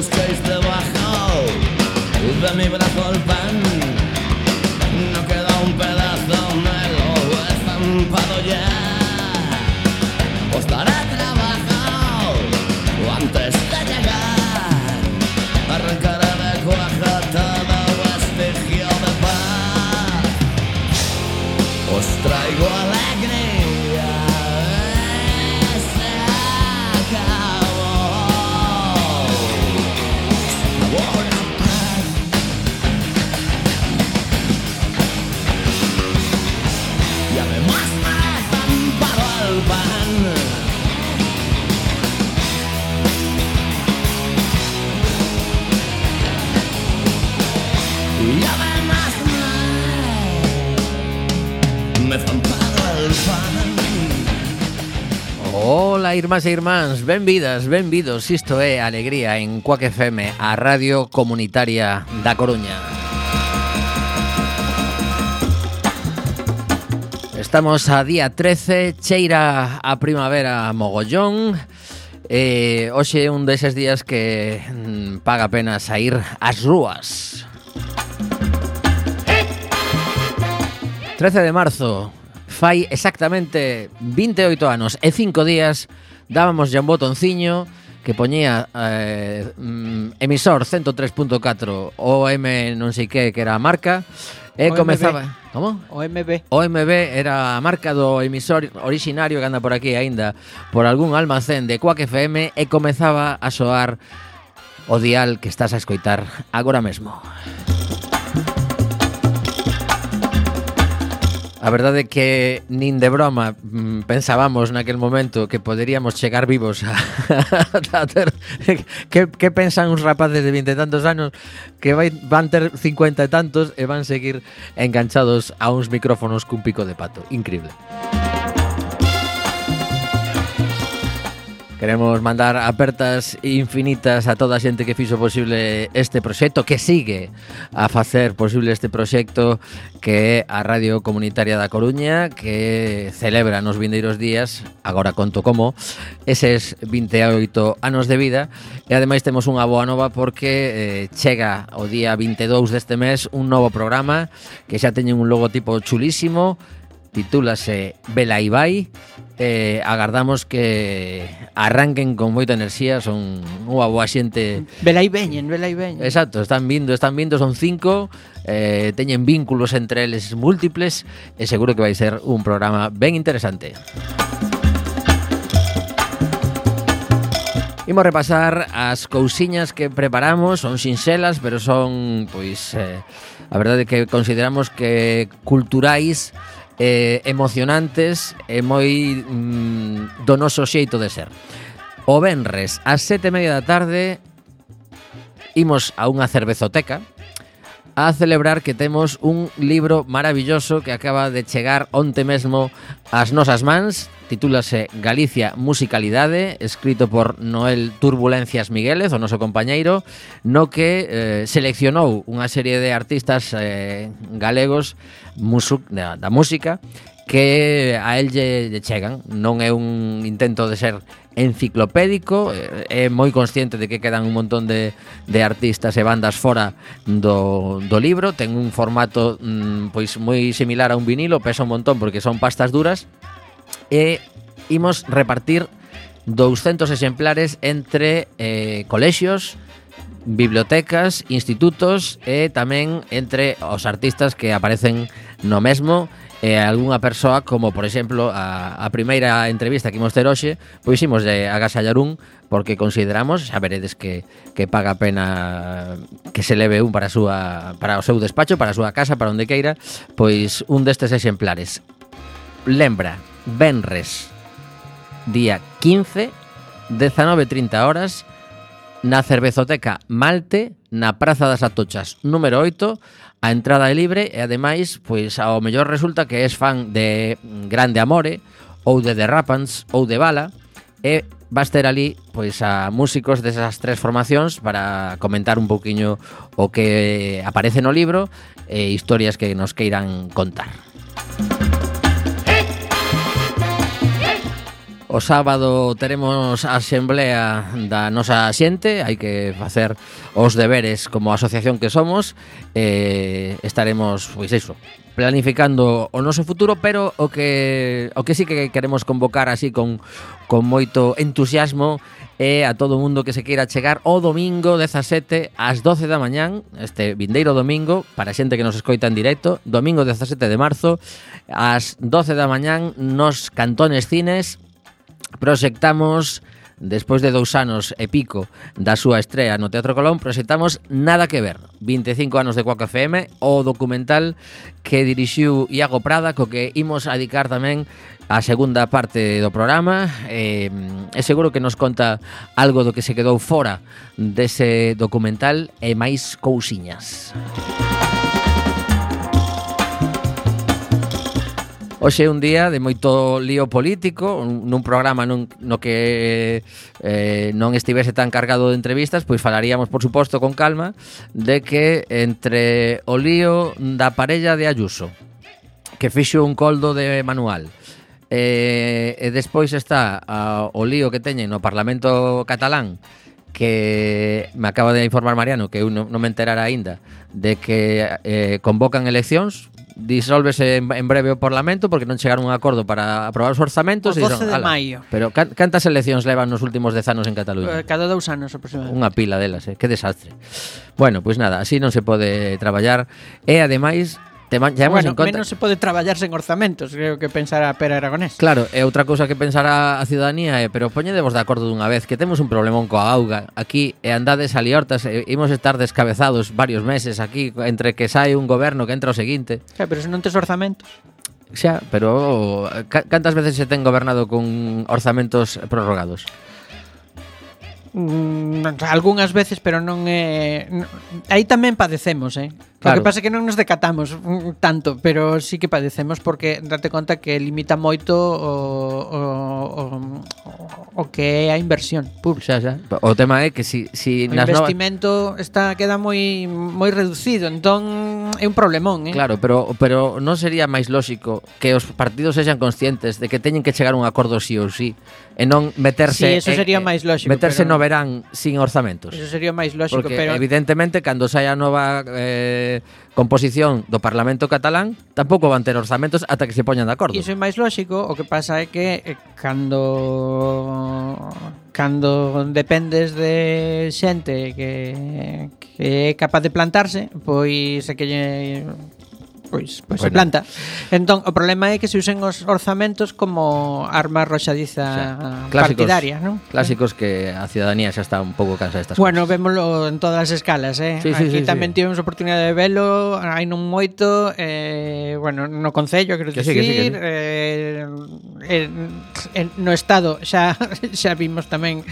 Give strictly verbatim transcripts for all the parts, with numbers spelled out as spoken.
busquéis debajo de mi brazo el pan. No queda un pedazo, me lo he estampado ya. Os daré trabajo antes de llegar. Arrancaré de cuaja todo vestigio de paz. Os traigo alegría. Se acabó. Sabor a paz. Y además me he estampado el pan. Y además me, me he estampado el pan. Ola, irmás e irmáns, benvidas, benvidos. Isto é Alegría en Cuac F M, a radio comunitaria da Coruña. Estamos a día trece, cheira a primavera mogollón. E hoxe é un deses días que mm, paga a pena saír ás rúas. trece de marzo, fai exactamente vinte e oito anos e cinco días dábamos ya un botonciño que poñía eh, mm, emisor ciento tres punto catro O M non sei que que era a marca e O M B. comezaba... Como? O M B. O M B era a marca do emisor originario que anda por aquí aínda por algún almacén de Cuac F M e comezaba a soar o dial que estás a escoitar agora mesmo. A verdade é que nin de broma mm, pensábamos naquel momento que poderíamos chegar vivos a, a ter... Que, que pensan uns rapaces de vinte e tantos anos que vai, van ter cincuenta e tantos e van seguir enganchados a uns micrófonos cun pico de pato? Increíble. Queremos mandar apertas infinitas a toda a xente que fixo posible este proxecto, que sigue a facer posible este proxecto, que é a Radio Comunitaria da Coruña, que celebra nos vindeiros días, agora conto como, eses vinte e oito anos de vida, e ademais temos unha boa nova porque eh, chega o día vinte e dous deste mes un novo programa que xa teñen un logotipo chulísimo, titúlase Vela Ibai. Eh, agardamos que arranquen con moita enerxía, son unha boa xente. Vela e veñen, vela e veñen. Exacto, están vindo, están vindo, son cinco, eh, teñen vínculos entre eles múltiples e seguro que vai ser un programa ben interesante. Imos repasar as cousiñas que preparamos, son sinxelas, pero son, pois, eh, a verdade é que consideramos que culturais, Eh, emocionantes e moi mm, do noso xeito de ser. O venres ás sete e media da tarde imos a unha cervezoteca a celebrar que temos un libro maravilloso que acaba de chegar onte mesmo ás nosas mans. Titúlase Galicia Musicalidade, escrito por Noel Turbulencias Miguélez, o noso compañeiro, no que eh, seleccionou unha serie de artistas eh, galegos musu, da, da música que a el lle, lle chegan. Non é un intento de ser enciclopédico, é moi consciente de que quedan un montón de, de artistas e bandas fora do, do libro. Ten un formato mm, pois moi similar a un vinilo, pesa un montón porque son pastas duras, e imos repartir douscentos exemplares entre eh, colexios, bibliotecas, institutos e tamén entre os artistas que aparecen no mesmo e algunha persoa, como por exemplo a, a primeira entrevista que imos ter hoxe, pois imos de agasallar un porque consideramos, xa veredes que, que paga a pena que se leve un para, a súa, para o seu despacho, para a súa casa, para onde queira, pois un destes exemplares. Lembra, venres, día quince, dezanove e trinta horas, na Cervezoteca Malte, na Praza das Atochas, número oito. A entrada é libre e ademais, pois ao mellor resulta que és fan de Grande Amore ou de The Rapans ou de Bala e vas ter ali pois a músicos desas tres formacións para comentar un pouquiño o que aparece no libro e historias que nos queiran contar. O sábado teremos a asamblea da nosa xente, hai que facer os deberes como asociación que somos, e estaremos, pois iso, planificando o noso futuro, pero o que o que sí que queremos convocar así con, con moito entusiasmo é a todo o mundo que se queira chegar o domingo dezasete ás doce da mañán, este vindeiro domingo, para a xente que nos escoita en directo, domingo dezasete de marzo, ás doce da mañán nos Cantones Cines proxectamos, despois de dous anos e pico da súa estrea no Teatro Colón, proxectamos Nada que ver, vinte e cinco anos de Quack F M, o documental que dirixiu Iago Prada, co que imos a dedicar tamén a segunda parte do programa. E, e seguro que nos conta algo do que se quedou fora dese documental e máis cousiñas. Hoxe é un día de moito lío político, nun programa nun, no que eh, non estivese tan cargado de entrevistas, pois falaríamos, por suposto, con calma, de que entre o lío da parella de Ayuso, que fixo un coldo de manual, e, e despois está a, o lío que teñen no Parlamento catalán, que me acaba de informar Mariano, que eu non, non me enterara aínda, de que eh, convocan eleccións, disólvese en, en breve o Parlamento porque non chegaron a un acordo para aprobar os orzamentos. O doce de maio. Pero can, cantas eleccións levan nos últimos dez anos en Cataluña? Uh, cada dous anos aproximadamente. Unha pila delas, eh? Que desastre. Bueno, pois pues nada, así non se pode traballar. E ademais Tema, bueno, en conta... menos se pode traballar sen orzamentos, creo que pensará Pere Aragonés. Claro, e outra cousa que pensará a ciudadanía é, pero poñedevos de acordo dunha vez, que temos un problemón coa auga aquí, e andades a liortas, e imos estar descabezados varios meses aquí, entre que sai un goberno que entra o seguinte. Xa, pero se non tes orzamentos. Xa, pero cantas veces se ten gobernado con orzamentos prorrogados? Mm, algunhas veces, pero non é non, aí tamén padecemos, eh. Claro. O que pasa é que non nos decatamos mm, tanto, pero sí que padecemos porque date conta que limita moito o, o, o, o que é a inversión pública. Xa, xa. O tema é que si, si o nas investimento novas... está queda moi moi reducido, entón é un problemón, eh. Claro, pero pero non sería máis lóxico que os partidos sexan conscientes de que teñen que chegar a un acordo sí ou sí, e non meterse. Sí, eso sería eh, máis lóxico. Meterse pero... no verán sin orzamentos. Eso sería máis lóxico, porque pero evidentemente cando saia a nova eh, composición do Parlamento catalán tampouco van ter orzamentos ata que se poñan de acordo. Iso é máis lóxico, o que pasa é que eh, cando cando dependes de xente que, que é capaz de plantarse, pois é que lle Pois, pois bueno. Se planta. Entón, o problema é que se usen os orzamentos como arma arroxadiza o sea, partidaria, non? Clásicos que a ciudadanía xa está un pouco cansa destas bueno, cosas. Bueno, vémolo en todas as escalas, eh? Sí, sí, Aquí sí, tamén sí. tivemos oportunidade de velo, hai non moito, eh, bueno, no Concello, quero que dicir, sí, que sí, que sí. Eh, en, en, no Estado xa xa vimos tamén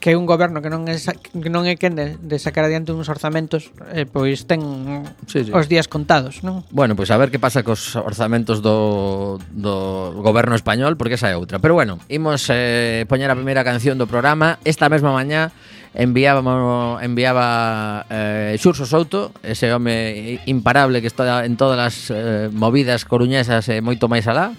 que un goberno que non é que non é quen de, de sacar adiante uns orzamentos, eh, pois ten sí, sí. os días contados, non? Bueno, pois a ver que pasa cos orzamentos do, do goberno español, porque esa é outra. Pero bueno, imos eh, poñer a primeira canción do programa. Esta mesma mañá enviábamos, enviaba eh, Xurso Souto, ese home imparable que está en todas as eh, movidas coruñesas e moito máis alá.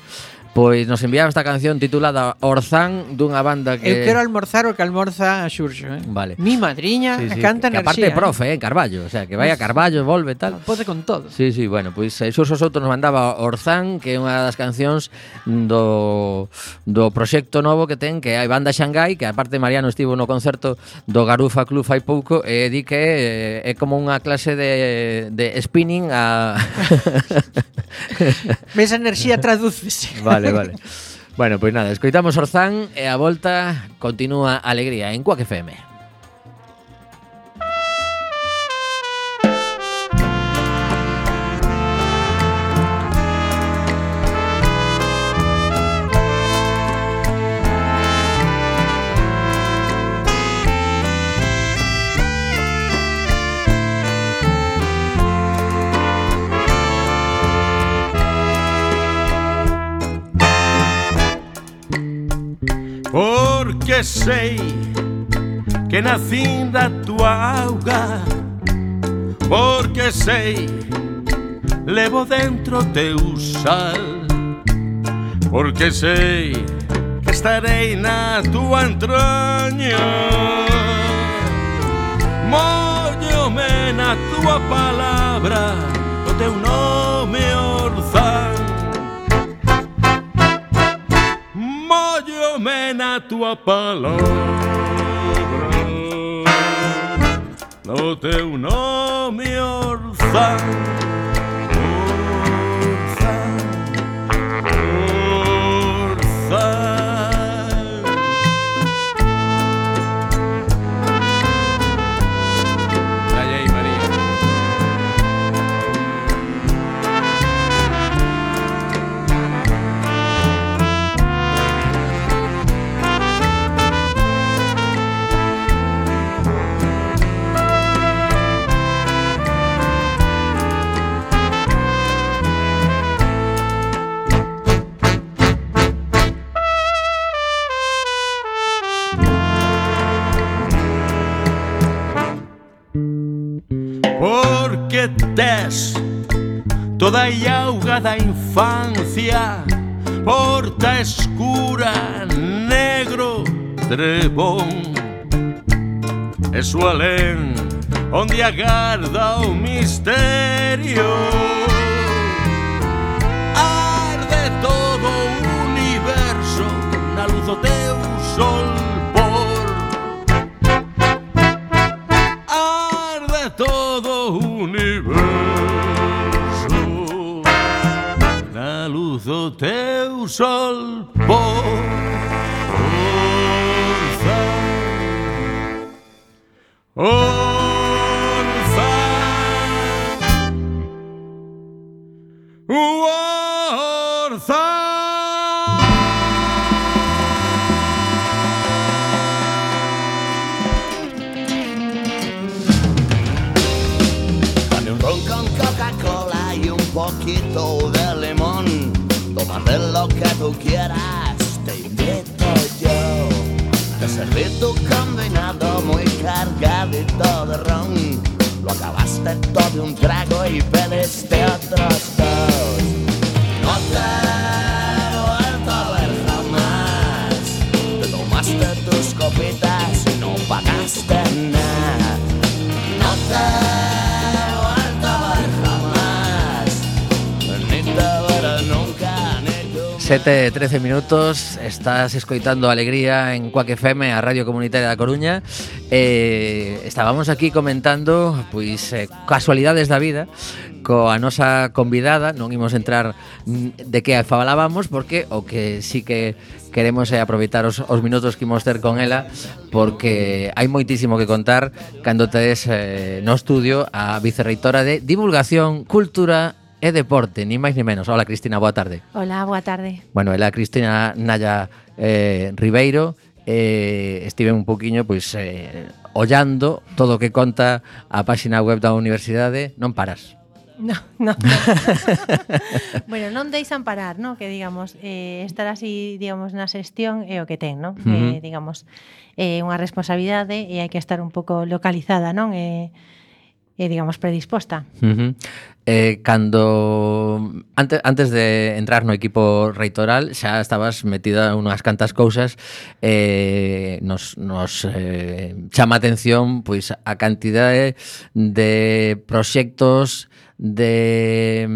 Pois nos enviaba esta canción titulada Orzán, dunha banda que... Eu quero almorzar o que almorza a Xurxo, eh? Vale. Mi madriña sí, sí, canta que, que enerxía. aparte é profe, eh, Carballo, o sea, que vai a Carballo, volve tal. Pode con todo. Sí, sí, bueno, pois eh, Xurxo Souto nos mandaba Orzán, que é unha das cancións do, do proxecto novo que ten, que hai Banda Xangai, que aparte Mariano estivo no concerto do Garufa Club fai pouco, e di que é, é como unha clase de, de spinning a... Esa enerxía tradúcese. Vale, vale. Bueno, pois nada, escoitamos Orzán e a volta continúa a alegría en Quack F M. Porque sei que nacín da tua auga, porque sei levo dentro teu sal, porque sei que estarei na tua entraña. Móllome na tua palabra, o teu nome Orzán. Móllome na tua palabra, o teu nome Orzán. Orzán, Orzán. Porque tes toda a auga da infancia, porta escura, negro trebón. E su alén onde agarda o misterio. Arde todo o universo na luz do teu sol. Todo o universo na luz do teu sol por Orzán, Orzán, Orzán. Con Coca-Cola y un poquito de limón, tómate lo que tú quieras, te invito yo. Te serví tu combinado muy cargadito de ron, lo acabaste todo de un trago y pediste otros dos. No te he vuelto a ver jamás, te tomaste tus copitas y no pagaste nada. No te sete e trece minutos, estás escoitando Alegría en Cuac F M, a Radio Comunitaria da Coruña. eh, Estábamos aquí comentando pois eh, casualidades da vida coa nosa convidada. Non imos entrar de que falábamos, porque o que sí que queremos é aproveitar os, os minutos que imos ter con ela, porque hai moitísimo que contar cando tedes eh, no estudio a vicerreitora de Divulgación, Cultura e Deporte, ni máis ni menos. Hola, Cristina, boa tarde. Hola, boa tarde. Bueno, ela Cristina Naya eh, Ribeiro. eh, Estive un poquinho pois eh, ollando todo o que conta a páxina web da universidade. Non paras. No, no. Bueno, non deixan parar, ¿no? Que digamos, eh, estar así, digamos, na xestión é o que ten, ¿no? Uh-huh. eh, digamos, é eh, unha responsabilidade e hai que estar un pouco localizada, non? E eh, eh, digamos, predisposta. Uh-huh. Eh, cando antes, antes de entrar no equipo reitoral xa estabas metida en unhas cantas cousas. eh, nos, nos eh, chama a atención pois a cantidade de proxectos, de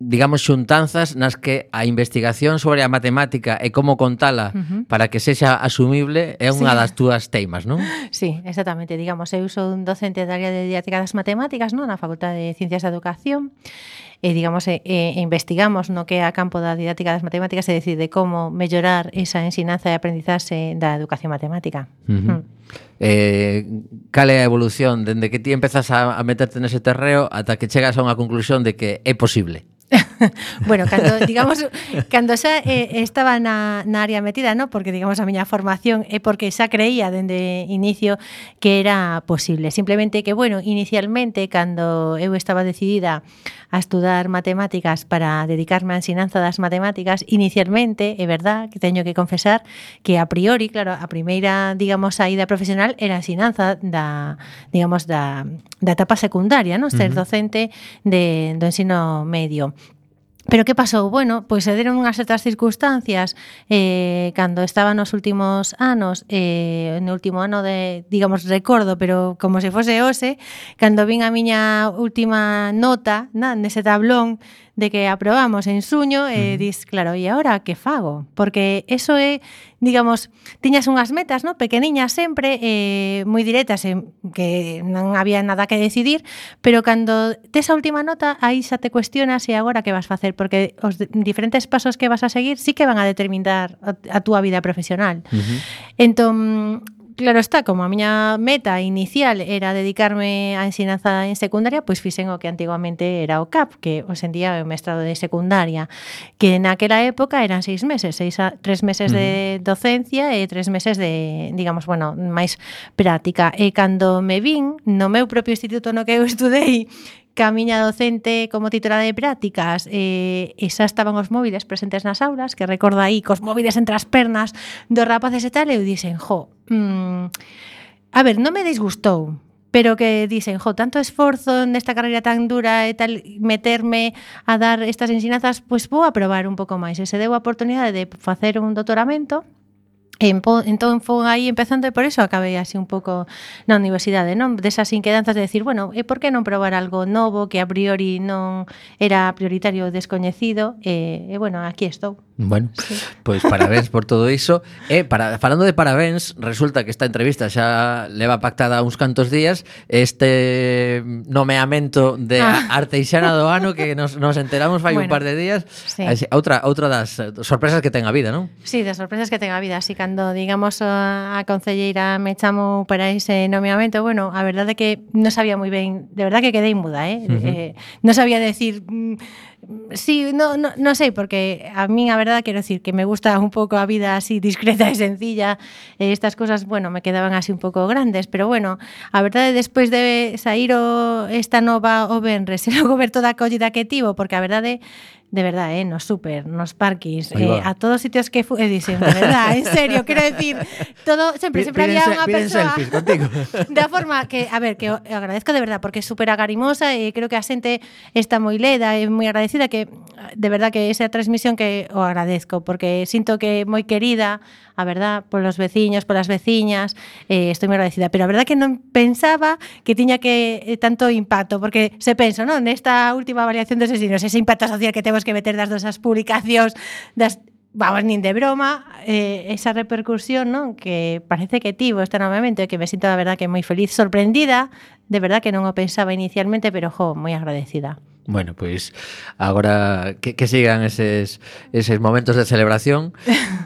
digamos xuntanzas nas que a investigación sobre a matemática e como contala Uh-huh. para que sexa asumible é unha Sí. das túas teimas, non? Sí, exactamente. Digamos, eu sou un docente da área de didáctica das matemáticas, non? Na Facultade de Ciencias da Educación. E, digamos, e, e investigamos no que é a campo da didáctica das matemáticas e decide como mellorar esa ensinanza e aprendizaxe da educación matemática. Uh-huh. Mm. Eh, cal é a evolución dende que ti empezas a, a meterte nese terreo ata que chegas a unha conclusión de que é posible? Bueno, cando, digamos, cando xa eh, estaba na, na área metida, no? Porque, digamos, a miña formación é porque xa creía dende inicio que era posible. Simplemente que, bueno, inicialmente, cando eu estaba decidida a estudar matemáticas para dedicarme á ensinanza das matemáticas, inicialmente, é verdad que teño que confesar que a priori, claro, a primeira, digamos, saída profesional era a ensinanza da, digamos, da, da etapa secundaria, no? Ser docente de, do ensino medio. Pero que pasou? Bueno, pois se deron unhas certas circunstancias eh, cando estaba nos últimos anos, eh, no último ano de, digamos, recordo, pero como se fose hoxe, cando vin a miña última nota na, nese tablón de que aprobamos en suño, eh, uh -huh. dis, claro, e agora que fago? Porque eso é, digamos, tiñas unhas metas, ¿no? Pequeniñas sempre, eh, moi directas, eh, que non había nada que decidir, pero cando tes a última nota, aí xa te cuestionas e agora que vas facer, porque os diferentes pasos que vas a seguir sí que van a determinar a, a túa vida profesional. Uh -huh. Entón, claro está, como a miña meta inicial era dedicarme á ensinanza en secundaria, pois fixen o que antigamente era o C A P, que hoxe en día é o mestrado de secundaria, que naquela época eran seis meses, seis a, tres meses uh -huh. de docencia e tres meses de, digamos, bueno, máis práctica. E cando me vin no meu propio instituto no que eu estudei, que a miña docente como titular de prácticas eh, e xa estaban os móviles presentes nas aulas, que recordo aí cos móviles entre as pernas dos rapaces e tal, e eu dixen, jo, mmm, a ver, non me disgustou, pero que dixen, jo, tanto esforzo nesta carreira tan dura e tal, meterme a dar estas ensinanzas, pois vou a probar un pouco máis. E se deu a oportunidade de facer un doutoramento, entón foi aí empezando e por eso acabei así un pouco na universidade, non? Desas inquedanzas de decir, bueno, e por que non probar algo novo que a priori non era prioritario ou descoñecido e, e bueno, aquí estou. Bueno, sí. Pois parabéns por todo iso. E para, falando de parabéns, resulta que esta entrevista xa leva pactada uns cantos días, este nomeamento de ah. Arteixana do ano que nos, nos enteramos fai bueno, un par de días, sí. Así, outra, outra das sorpresas que ten a vida, non? Sí, das sorpresas que ten a vida, así cando, digamos, a concelleira me chamou para ese nomeamento, bueno, a verdade é que non sabía moi ben, de verdade que quedei muda, eh? Uh -huh. eh non sabía decir... Mm, sí, no, no, no sei, porque a min a verdade quero decir que me gusta un pouco a vida así discreta e sencilla, e estas cosas, bueno, me quedaban así un pouco grandes, pero bueno, a verdade despois de sair o, esta nova o venres e logo ver toda a acollida que tivo, porque a verdade de verdade, eh, nos super, nos parquis, eh, a todos os sitios que fui, eh, dixen, de verdade, en serio, quero decir, todo, sempre, sempre había unha persoa da forma que, a ver, que agradezco de verdade, porque é super agarimosa e creo que a xente está moi leda e moi agradecida, que de verdade que esa transmisión que o agradezco, porque sinto que é moi querida, a verdade, polos veciños, polas veciñas, eh, estou moi agradecida, pero a verdade que non pensaba que tiña que eh, tanto impacto, porque se penso, non, nesta última variación dos asesinos, ese impacto social que temos que meter das dosas publicacións, das, vamos, nin de broma, eh, esa repercusión, non, que parece que tivo este novamente, que me sinto, a verdade, que moi feliz, sorprendida, de verdade que non o pensaba inicialmente, pero, jo, moi agradecida. Bueno, pois agora que, que sigan eses, eses momentos de celebración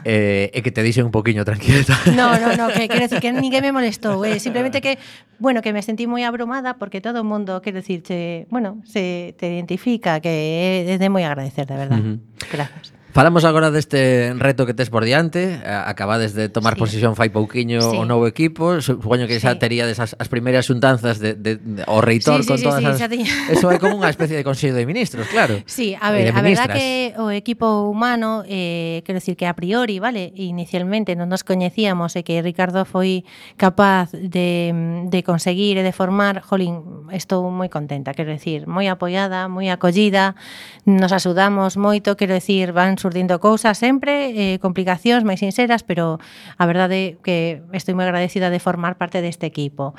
eh, e que te dixen un poquinho tranquileta. No, no, no, que quero decir que ninguén me molestou, eh, simplemente que, bueno, que me sentí moi abrumada porque todo o mundo, quero decir, che, bueno, se te identifica, que é de moi agradecer, de verdade. Uh -huh. Gracias. Falamos agora deste reto que tes por diante. Acabades de tomar sí. posesión fai pouquiño sí. o novo equipo. Supoño que xa sí. teríades as, as primeiras xuntanzas de, de, de, o reitor sí, con sí, todas sí, as... Sí, eso é como unha especie de consello de ministros, claro. Sí, a ver, a verdad que o equipo humano, eh, quero decir que a priori, vale, inicialmente non nos coñecíamos e que Ricardo foi capaz de, de conseguir e de formar, jolín, estou moi contenta, quero decir, moi apoiada, moi acollida, nos axudamos moito, quero decir, van surdindo cousas sempre, eh, complicacións máis sinceras, pero a verdade que estou moi agradecida de formar parte deste equipo.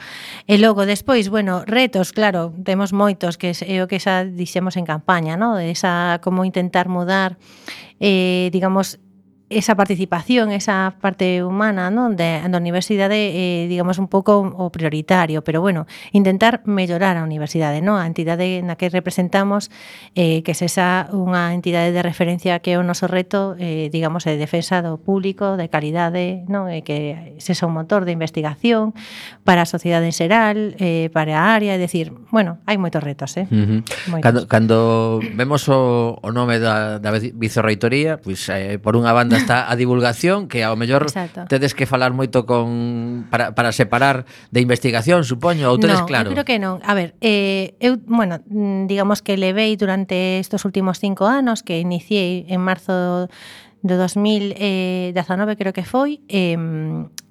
E logo, despois, bueno, retos, claro, temos moitos, que é o que xa dixemos en campaña, ¿no? Esa, como intentar mudar, eh, digamos, esa participación, esa parte humana, ¿no? de, da universidade, eh, digamos, un pouco o prioritario, pero bueno, intentar mellorar a universidade, ¿no? A entidade na que representamos, eh, que se xa unha entidade de referencia que é o noso reto, eh, digamos, de defensa do público, de calidade, ¿no? E que se xa un motor de investigación para a sociedade en xeral, eh, para a área, é dicir, bueno, hai moitos retos, eh? Uh -huh. Cando, cando vemos o, o nome da, da vicerreitoría, pois, pues, eh, por unha banda está a divulgación, que ao mellor Exacto. tedes que falar moito con para, para separar de investigación, supoño, ou tedes no, claro? Non, eu creo que non. A ver, eh, eu, bueno, digamos que levei durante estes últimos cinco anos, que iniciei en marzo do dos mil dezanove, creo que foi, eh,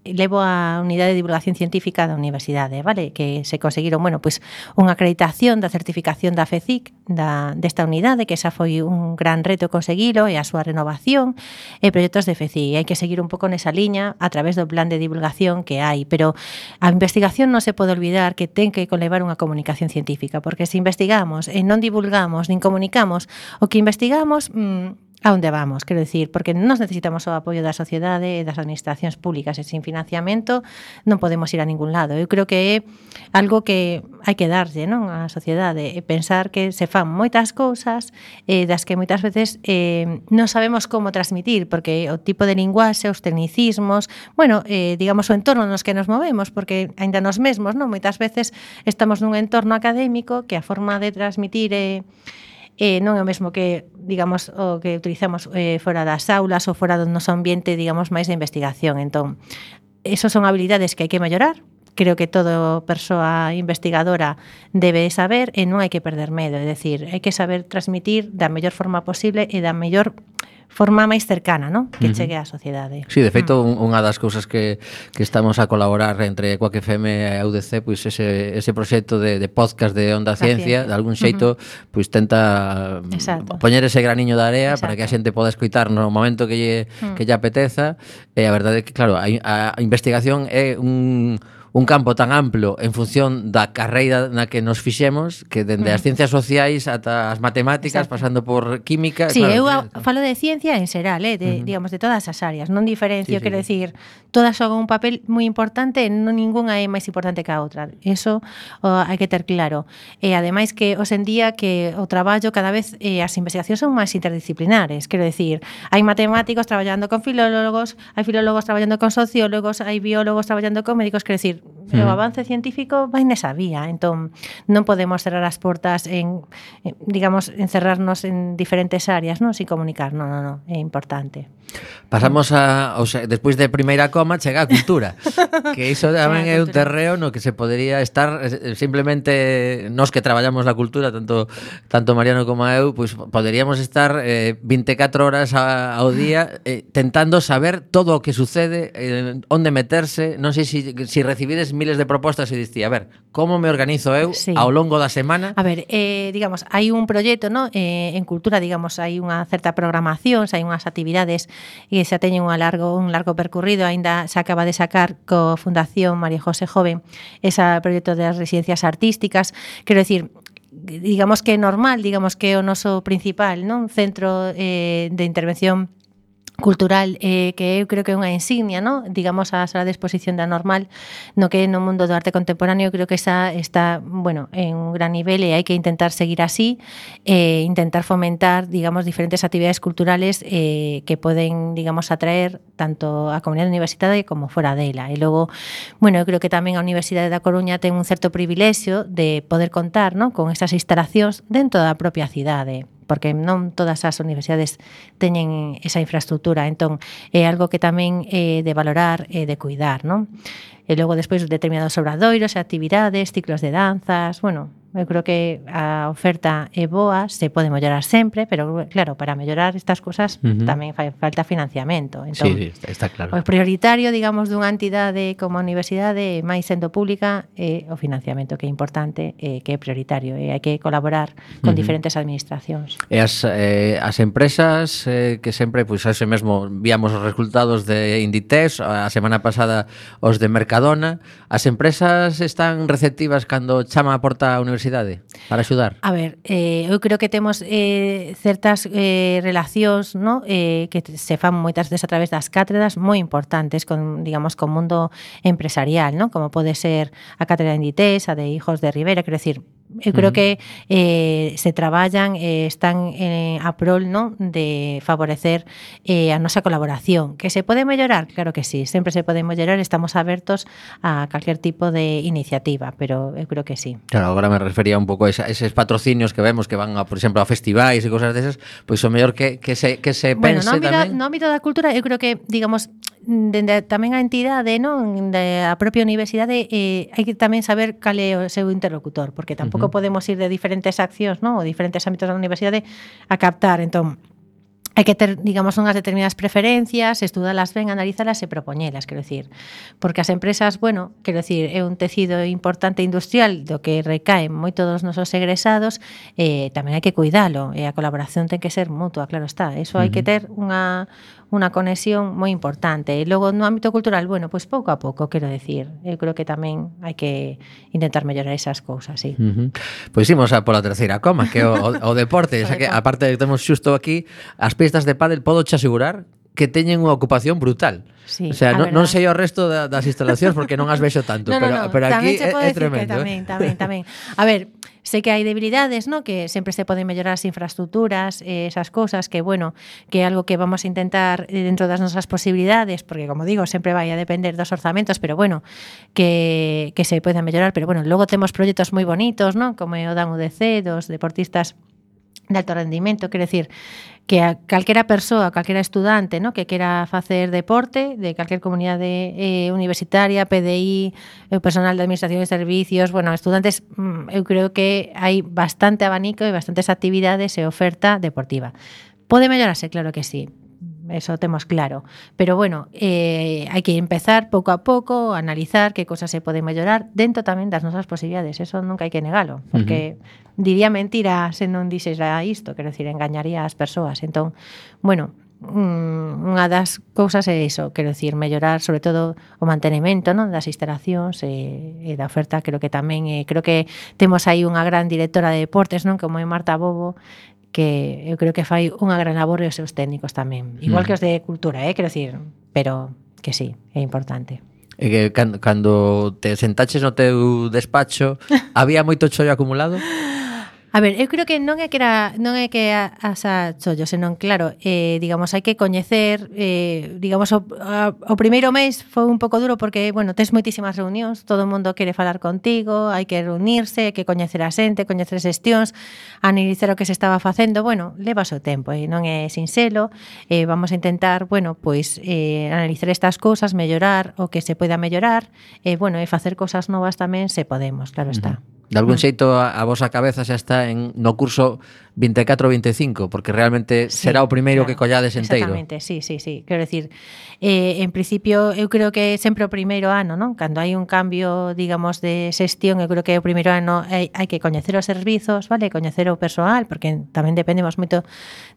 levo a unidade de divulgación científica da universidade, vale? Que se conseguiron, bueno, pois unha acreditación da certificación da F E C I C da, desta unidade, que esa foi un gran reto conseguilo, e a súa renovación e proxectos de F E C I. Hai que seguir un pouco nesa liña a través do plan de divulgación que hai, pero a investigación non se pode olvidar que ten que conlevar unha comunicación científica, porque se investigamos e non divulgamos nin comunicamos o que investigamos, mmm, a onde vamos, quero dicir, porque nos necesitamos o apoio da sociedade e das administracións públicas, e sin financiamento non podemos ir a ningún lado. Eu creo que é algo que hai que darlle, non, á sociedade, e pensar que se fan moitas cousas eh, das que moitas veces eh, non sabemos como transmitir, porque o tipo de linguaxe, os tecnicismos, bueno, eh, digamos o entorno nos que nos movemos, porque aínda nos mesmos, non, moitas veces estamos nun entorno académico que a forma de transmitir é eh, non é o mesmo que, digamos, o que utilizamos eh, fora das aulas ou fora do noso ambiente, digamos, máis de investigación. Entón, esos son habilidades que hai que mellorar. Creo que toda persoa investigadora debe saber e non hai que perder medo. É dicir, hai que saber transmitir da mellor forma posible e da mellor forma máis cercana, ¿no? Que chegue á sociedade. Sí, de feito, mm. unha das cousas que, que estamos a colaborar entre Quack F M e a U D C, pois ese, ese proxecto de, de podcast de Onda Ciencia, de algún xeito, uh-huh. pois tenta Exacto. poñer ese graniño de area Exacto. para que a xente poda escoitar no momento que lle, mm. que lle apeteza. E a verdade é que, claro, a, a investigación é un... un campo tan amplo en función da carreira na que nos fixemos, que dende as ciencias sociais ata as matemáticas, Exacto. pasando por química... Sí, claro, eu a, falo de ciencia en xeral, eh, de, uh-huh. digamos, de todas as áreas, non diferencio, sí, quero sí. decir, todas xogan un papel moi importante, non ningunha é máis importante que a outra. Eso o, hai que ter claro. E ademais que, hoxe en día, que o traballo cada vez, eh, as investigacións son máis interdisciplinares, quero decir, hai matemáticos traballando con filólogos, hai filólogos traballando con sociólogos, hai biólogos traballando con médicos, quero decir, o avance científico vai nesa vía, entón non podemos cerrar as portas en, digamos, encerrarnos en diferentes áreas, non, sin comunicar, non, non, non, é importante. Pasamos a, o sea, despois de primeira coma chega a cultura, que iso tamén é un terreo no que se podería estar simplemente nós que traballamos na cultura, tanto tanto Mariano como eu, pois poderíamos estar eh, vinte e catro horas a, ao día eh, tentando saber todo o que sucede, eh, onde meterse, non sei se si, si recibides miles de propostas e dicía, a ver, como me organizo eu sí. ao longo da semana? A ver, eh, digamos, hai un proxecto, ¿no? eh, en cultura, digamos, hai unha certa programación, hai unhas actividades e xa teñen un largo un largo percorrido, aínda se acaba de sacar co Fundación María José Joven ese proxecto das residencias artísticas, quero decir, digamos que é normal, digamos que é o noso principal, non, centro eh, de intervención cultural, eh, que eu creo que é unha insignia, ¿no? Digamos, a sala de exposición da Normal, no que no mundo do arte contemporáneo, creo que esa está, bueno, en un gran nivel e hai que intentar seguir así, e eh, intentar fomentar, digamos, diferentes actividades culturales eh, que poden, digamos, atraer tanto a comunidade universitaria como fora dela. E logo, bueno, eu creo que tamén a Universidade da Coruña ten un certo privilexio de poder contar, ¿no? Con esas instalacións dentro da propia cidade, porque non todas as universidades teñen esa infraestructura, entón é algo que tamén é de valorar e de cuidar, non? E logo despois determinados obradoiros, actividades, ciclos de danzas, bueno, eu creo que a oferta é boa, se pode mellorar sempre, pero claro, para mellorar estas cousas uh-huh. tamén fai falta financiamento. Entón, sí, sí, está claro. O prioritario, digamos, dunha entidade como a universidade, máis sendo pública, é o financiamento, que é importante, e que é prioritario, e hai que colaborar con uh-huh. diferentes administracións. E as, eh, as empresas eh, que sempre, pois, pues, ese mesmo víamos os resultados de Inditex, a semana pasada os de Mercadona, as empresas están receptivas cando chama a porta a universidade para axudar? A ver, eh, eu creo que temos eh, certas eh, relacións, ¿no? eh, que se fan moitas veces a través das cátedras moi importantes con, digamos, con o mundo empresarial, ¿no? Como pode ser a cátedra de Inditex, a de Hijos de Rivera, quero decir, eu creo que eh, se traballan, eh, están eh, a prol, ¿no? De favorecer eh, a nosa colaboración. Que se pode mellorar? Claro que sí, sempre se pode mellorar, estamos abertos a calquer tipo de iniciativa, pero eu creo que sí. Claro, agora me refería un pouco a esa, eses patrocinios que vemos que van, a, por exemplo, a festivais e cosas desas, pois o mellor que, que se, que se pense bueno, no tamén. No ámbito da cultura, eu creo que, digamos, dende tamén a entidade, non, de a propia universidade, eh, hai que tamén saber cal é o seu interlocutor, porque tampouco uh-huh. podemos ir de diferentes accións, non, ou diferentes ámbitos da universidade a captar. Entón, hai que ter, digamos, unhas determinadas preferencias, estudalas ben, analizalas e propoñelas, quero dicir. Porque as empresas, bueno, quero dicir, é un tecido importante industrial do que recaen moito dos nosos egresados, e tamén hai que cuidalo, e a colaboración ten que ser mutua, claro está. Eso hai que ter unha unha conexión moi importante. E logo no ámbito cultural, bueno, pois pouco a pouco, quero decir. Eu creo que tamén hai que intentar mellorar esas cousas, sí. Uh-huh. Pois imos a pola terceira coma, que é o, o, o deporte, xa que aparte de que temos xusto aquí as pistas de pádel, podo che asegurar que teñen unha ocupación brutal. Sí, o sea, non, non sei o resto da, das instalacións porque non as vexo tanto, no, pero, no, no. pero aquí é, é tremendo. Tamén, eh? tamén, tamén. A ver, sei que hai debilidades, ¿no? Que sempre se poden mellorar as infraestructuras, eh, esas cousas, que bueno, que é algo que vamos a intentar dentro das nosas posibilidades, porque como digo, sempre vai a depender dos orzamentos, pero bueno, que, que se poden mellorar, pero bueno, logo temos proxectos moi bonitos, ¿no? Como o da U D C, dos deportistas de alto rendimento, quero decir, que a calquera persoa, calquera estudante, ¿no? Que quera facer deporte de calquer comunidade eh, universitaria, P D I, o personal de administración de servicios, bueno, estudantes, eu creo que hai bastante abanico e bastantes actividades e oferta deportiva. Pode mellorarse, claro que sí. Eso temos claro, pero bueno, eh, hai que empezar pouco a pouco, analizar que cosas se poden mellorar dentro tamén das nosas posibilidades, eso nunca hai que negalo, porque uh-huh. diría mentira se non dixera isto, quero dicir, engañaría as persoas. Entón, bueno, unha das cousas é iso, quero dicir, mellorar sobre todo o mantenimento, non, das instalacións e, e da oferta. Creo que tamén, eh, creo que temos aí unha gran directora de deportes, non, como é Marta Bobo, que eu creo que fai unha gran labor e os seus técnicos tamén. Igual mm. que os de cultura, eh, quero dicir, pero que sí, é importante. E que cando, cando te sentaches no teu despacho, había moito chollo acumulado? A ver, eu creo que non é que era non é que asa chollo, senón claro, eh, digamos, hai que coñecer, eh, digamos, o, a, o primeiro mes foi un pouco duro porque, bueno, tes moitísimas reunións, todo o mundo quere falar contigo, hai que reunirse, hai que coñecer a xente, coñecer xestións, analizar o que se estaba facendo, bueno, leva o seu tempo, e non é sinxelo, eh, vamos a intentar, bueno, pois eh, analizar estas cousas, mellorar o que se poida mellorar, e, eh, bueno, e facer cousas novas tamén se podemos, claro está. Uh-huh. De algún xeito a, a vosa cabeza xa está en no curso vinte e catro vinte e cinco, porque realmente sí, será o primeiro claro, que collades enteiro. Exactamente, sí, sí, sí. Quero decir, eh, en principio, eu creo que sempre o primeiro ano, non? Cando hai un cambio, digamos, de xestión, eu creo que o primeiro ano hai, hai que coñecer os servizos, vale? Coñecer o persoal, porque tamén dependemos moito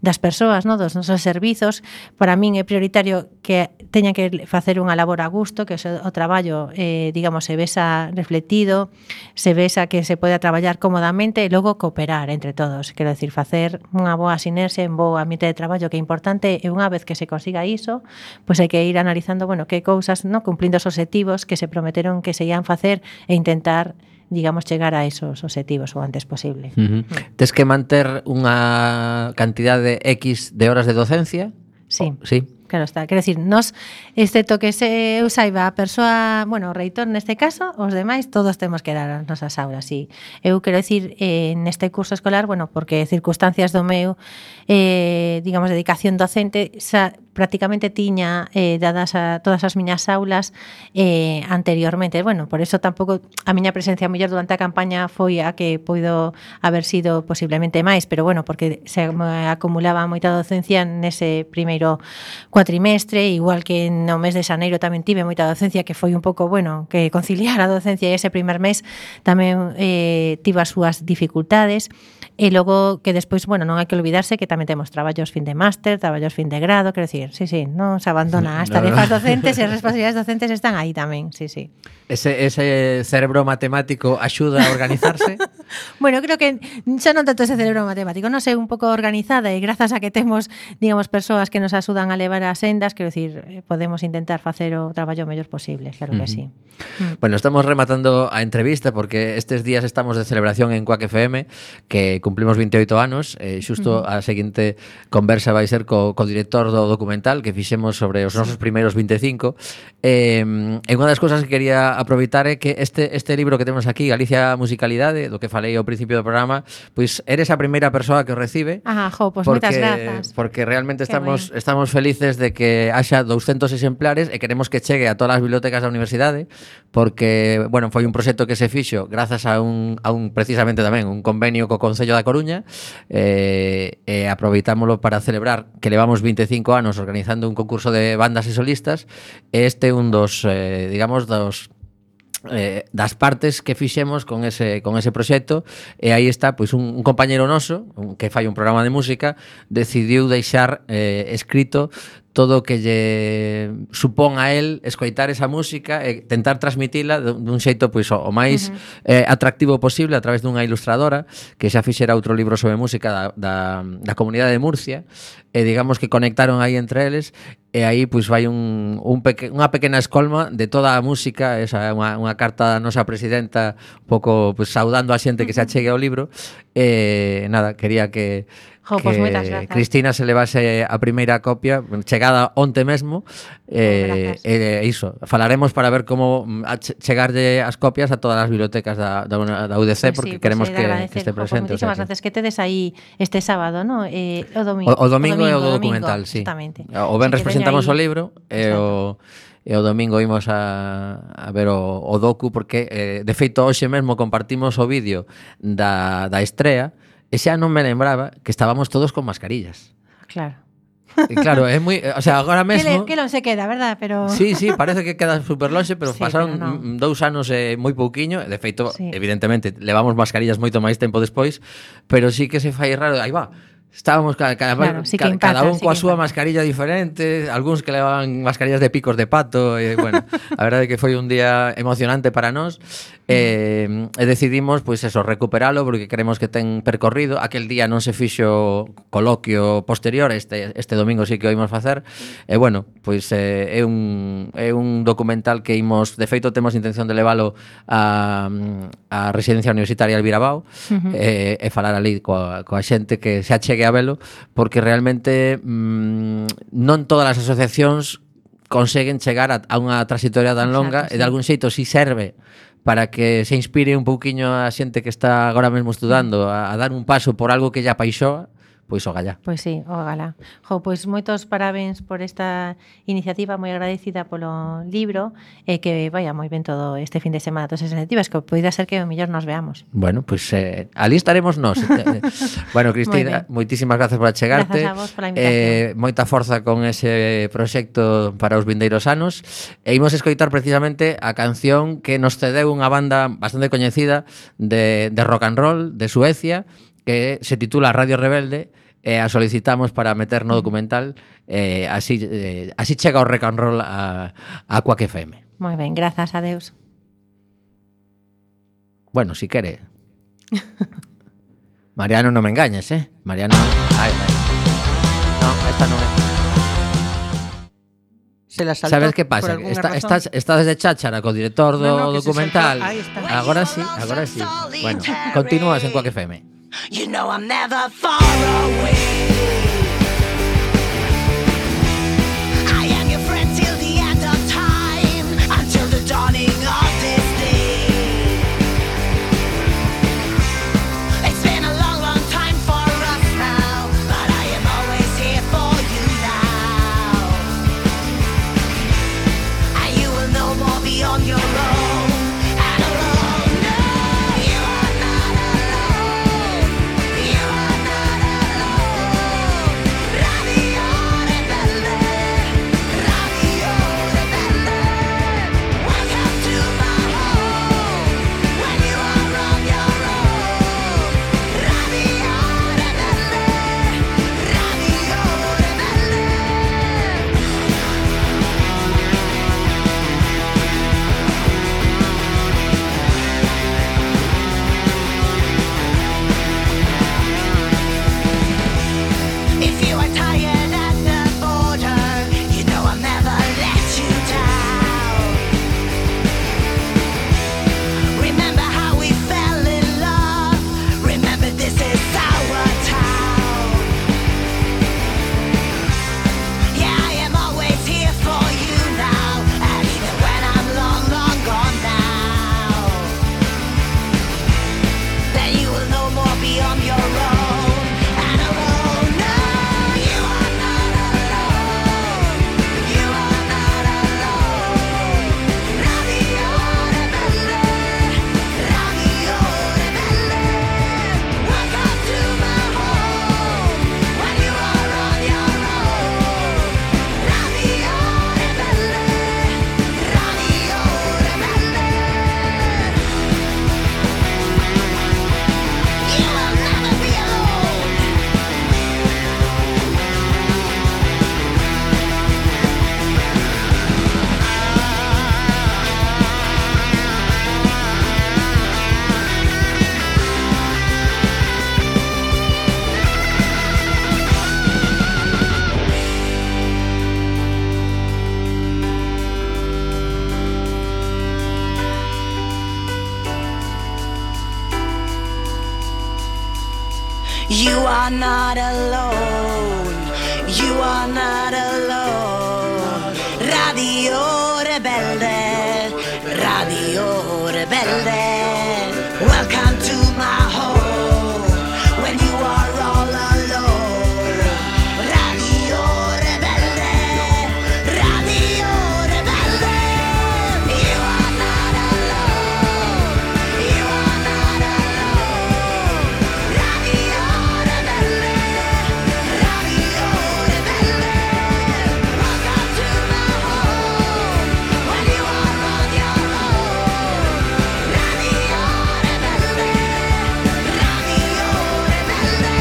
das persoas, non? Dos nosos servizos. Para min é prioritario que teñan que facer unha labor a gusto, que o, o traballo, eh, digamos, se vesa refletido, se vesa que se poida traballar cómodamente e logo cooperar entre todos. Quero decir, facer unha boa sinerxia, un bo ambiente de traballo que é importante, e unha vez que se consiga iso, pois hai que ir analizando, bueno, que cousas, no, cumplindo os obxectivos que se prometeron que se ian facer e intentar, digamos, chegar a esos obxectivos o antes posible. Uh-huh. Mm. Tes que manter unha cantidade X de horas de docencia? Sí. Oh, sí. Claro está, quero dicir, nos, excepto que se eu saiba a persoa, bueno, o reitor neste caso, os demais todos temos que dar as nosas aulas, e eu quero dicir, eh, neste curso escolar, bueno, porque circunstancias do meu, eh, digamos, dedicación docente, xa prácticamente tiña eh, dadas a todas as miñas aulas eh, anteriormente, bueno, por eso tampouco a miña presencia mellor durante a campaña foi a que poido haber sido posiblemente máis, pero bueno, porque se me acumulaba moita docencia nese primeiro cuatrimestre, igual que no mes de xaneiro tamén tive moita docencia, que foi un pouco, bueno, que conciliar a docencia e ese primer mes tamén eh, tive as súas dificultades, e logo que despois, bueno, non hai que olvidarse que tamén temos traballos fin de máster, traballos fin de grado, quero dicir, sí, sí, non se abandona as tarefas docentes e as responsabilidades docentes están aí tamén, sí, sí. Ese, ese cerebro matemático axuda a organizarse? Bueno, creo que xa non tanto ese cerebro matemático, non sei, un pouco organizada, e grazas a que temos, digamos, persoas que nos axudan a levar as sendas, quero dicir, podemos intentar facer o traballo o mellor posible, claro que sí. Uh-huh. Bueno, estamos rematando a entrevista porque estes días estamos de celebración en Quack F M, que cumplimos veintioito anos, e xusto uh-huh. a seguinte conversa vai ser co, co director do documental documental que fixemos sobre os nosos primeiros vinte e cinco. Eh, e unha das cousas que quería aproveitar é que este, este libro que temos aquí, Galicia Musicalidade, do que falei ao principio do programa, pois eres a primeira persoa que o recibe. Ah, jo, pois pues moitas grazas. Porque realmente estamos, estamos felices de que haxa douscentos exemplares e queremos que chegue a todas as bibliotecas da universidade, porque, bueno, foi un proxecto que se fixo grazas a un, a un precisamente tamén, un convenio co Concello da Coruña, eh, e aproveitámoslo para celebrar que levamos vinte e cinco anos organizando un concurso de bandas e solistas, e este é un dos, eh, digamos, dos Eh, das partes que fixemos con ese con ese proxecto, e aí está pois un, un compañeiro noso un, que fai un programa de música, decidiu deixar eh, escrito todo o que lle supón a él escoitar esa música e tentar transmitila dun xeito pois o máis uh-huh. eh, atractivo posible a través dunha ilustradora que xa fixera outro libro sobre música da, da, da comunidade de Murcia, e digamos que conectaron aí entre eles, e aí pois vai un, un peque, unha pequena escolma de toda a música. Esa é unha, unha carta da nosa presidenta un pouco pois saudando a xente que se achegue ao libro. E nada, quería que Jo, que pues moitas grazas. Cristina se levase a primeira copia chegada onte mesmo, e eh, eh, iso, falaremos para ver como chegarlle as copias a todas as bibliotecas da, da, da U D C, pues porque sí, queremos pues que, que este presente. Jo, moitísimas gracias, que tedes aí este sábado, ¿no? Eh, o domingo. O, o domingo é o do documental, sí. Exactamente. O venres presentamos o libro e o e o domingo imos a, a ver o, o docu, porque eh, de feito hoxe mesmo compartimos o vídeo da, da estrea. E xa non me lembraba que estábamos todos con mascarillas. Claro. E claro, é moi, o sea, agora mesmo que, le, que non se queda, verdad? Pero sí, sí, parece que queda super lonxe, pero sí, pasaron pero no. dous anos e moi pouquiño, de feito, sí. evidentemente, levamos mascarillas moito máis tempo despois, pero sí que se fai raro, aí va. Estábamos cada, cada, claro, sí cada, impacta, cada un sí coa súa impacta. mascarilla diferente, algúns que levaban mascarillas de picos de pato, e bueno, a verdade é que foi un día emocionante para nós. E, e decidimos, pois eso, recuperalo porque queremos que ten percorrido. Aquel día non se fixo coloquio posterior, este este domingo sí que o imos facer. E bueno, pois eh, é un é un documental que imos, de feito temos intención de levalo a a residencia universitaria Albirabao, uh-huh. e, e falar ali coa coa xente que se achegue a velo, porque realmente mmm, non todas as asociacións conseguen chegar a, a unha trayectoria tan longa. Exacto, sí. E de algún xeito si serve para que se inspire un pouquiño a xente que está agora mesmo estudando a, a dar un paso por algo que lla apaixoa, pois ogalá. Pois sí, ogalá. Jo, pois moitos parabéns por esta iniciativa, moi agradecida polo libro, e que vaya moi ben todo este fin de semana, todas esas iniciativas, que poida ser que o mellor nos veamos. Bueno, pois eh, ali estaremos nós. Bueno, Cristina, moitísimas gracias por achegarte. Grazas a vos pola invitación. Eh, moita forza con ese proxecto para os vindeiros anos. E imos escoitar precisamente a canción que nos cedeu unha banda bastante coñecida de, de rock and roll de Suecia, que se titula Radio Rebelde, e a solicitamos para meter no documental, eh, así, eh, así chega o rock and roll a, a Quack F M. Moi ben, grazas a Deus. Bueno, si quere. Mariano, non me engañes, eh? Mariano... Ay, ay. No, esta non é. Se la saltó. Sabes que pasa? Está, estás, estás de cháchara co director do no, no, documental. Ahí está. Agora sí, agora sí. Bueno, continúas en Quack F M. You know I'm never far away. I am your friend till the end of time, until the dawning of this day. It's been a long, long time for us now, but I am always here for you now. And you will no more be on your own and alone. No, you are not alone. You are not alone. are not alone. You are not alone. Radio Rebelde, Radio Rebelde. Welcome to my home when you are all alone. Radio Rebelde, Radio Rebelde. You are not alone. You are not alone. Radio Rebelde, Radio Rebelde. Welcome to my home when you are on your own. Radio Rebelde, Radio Rebelde.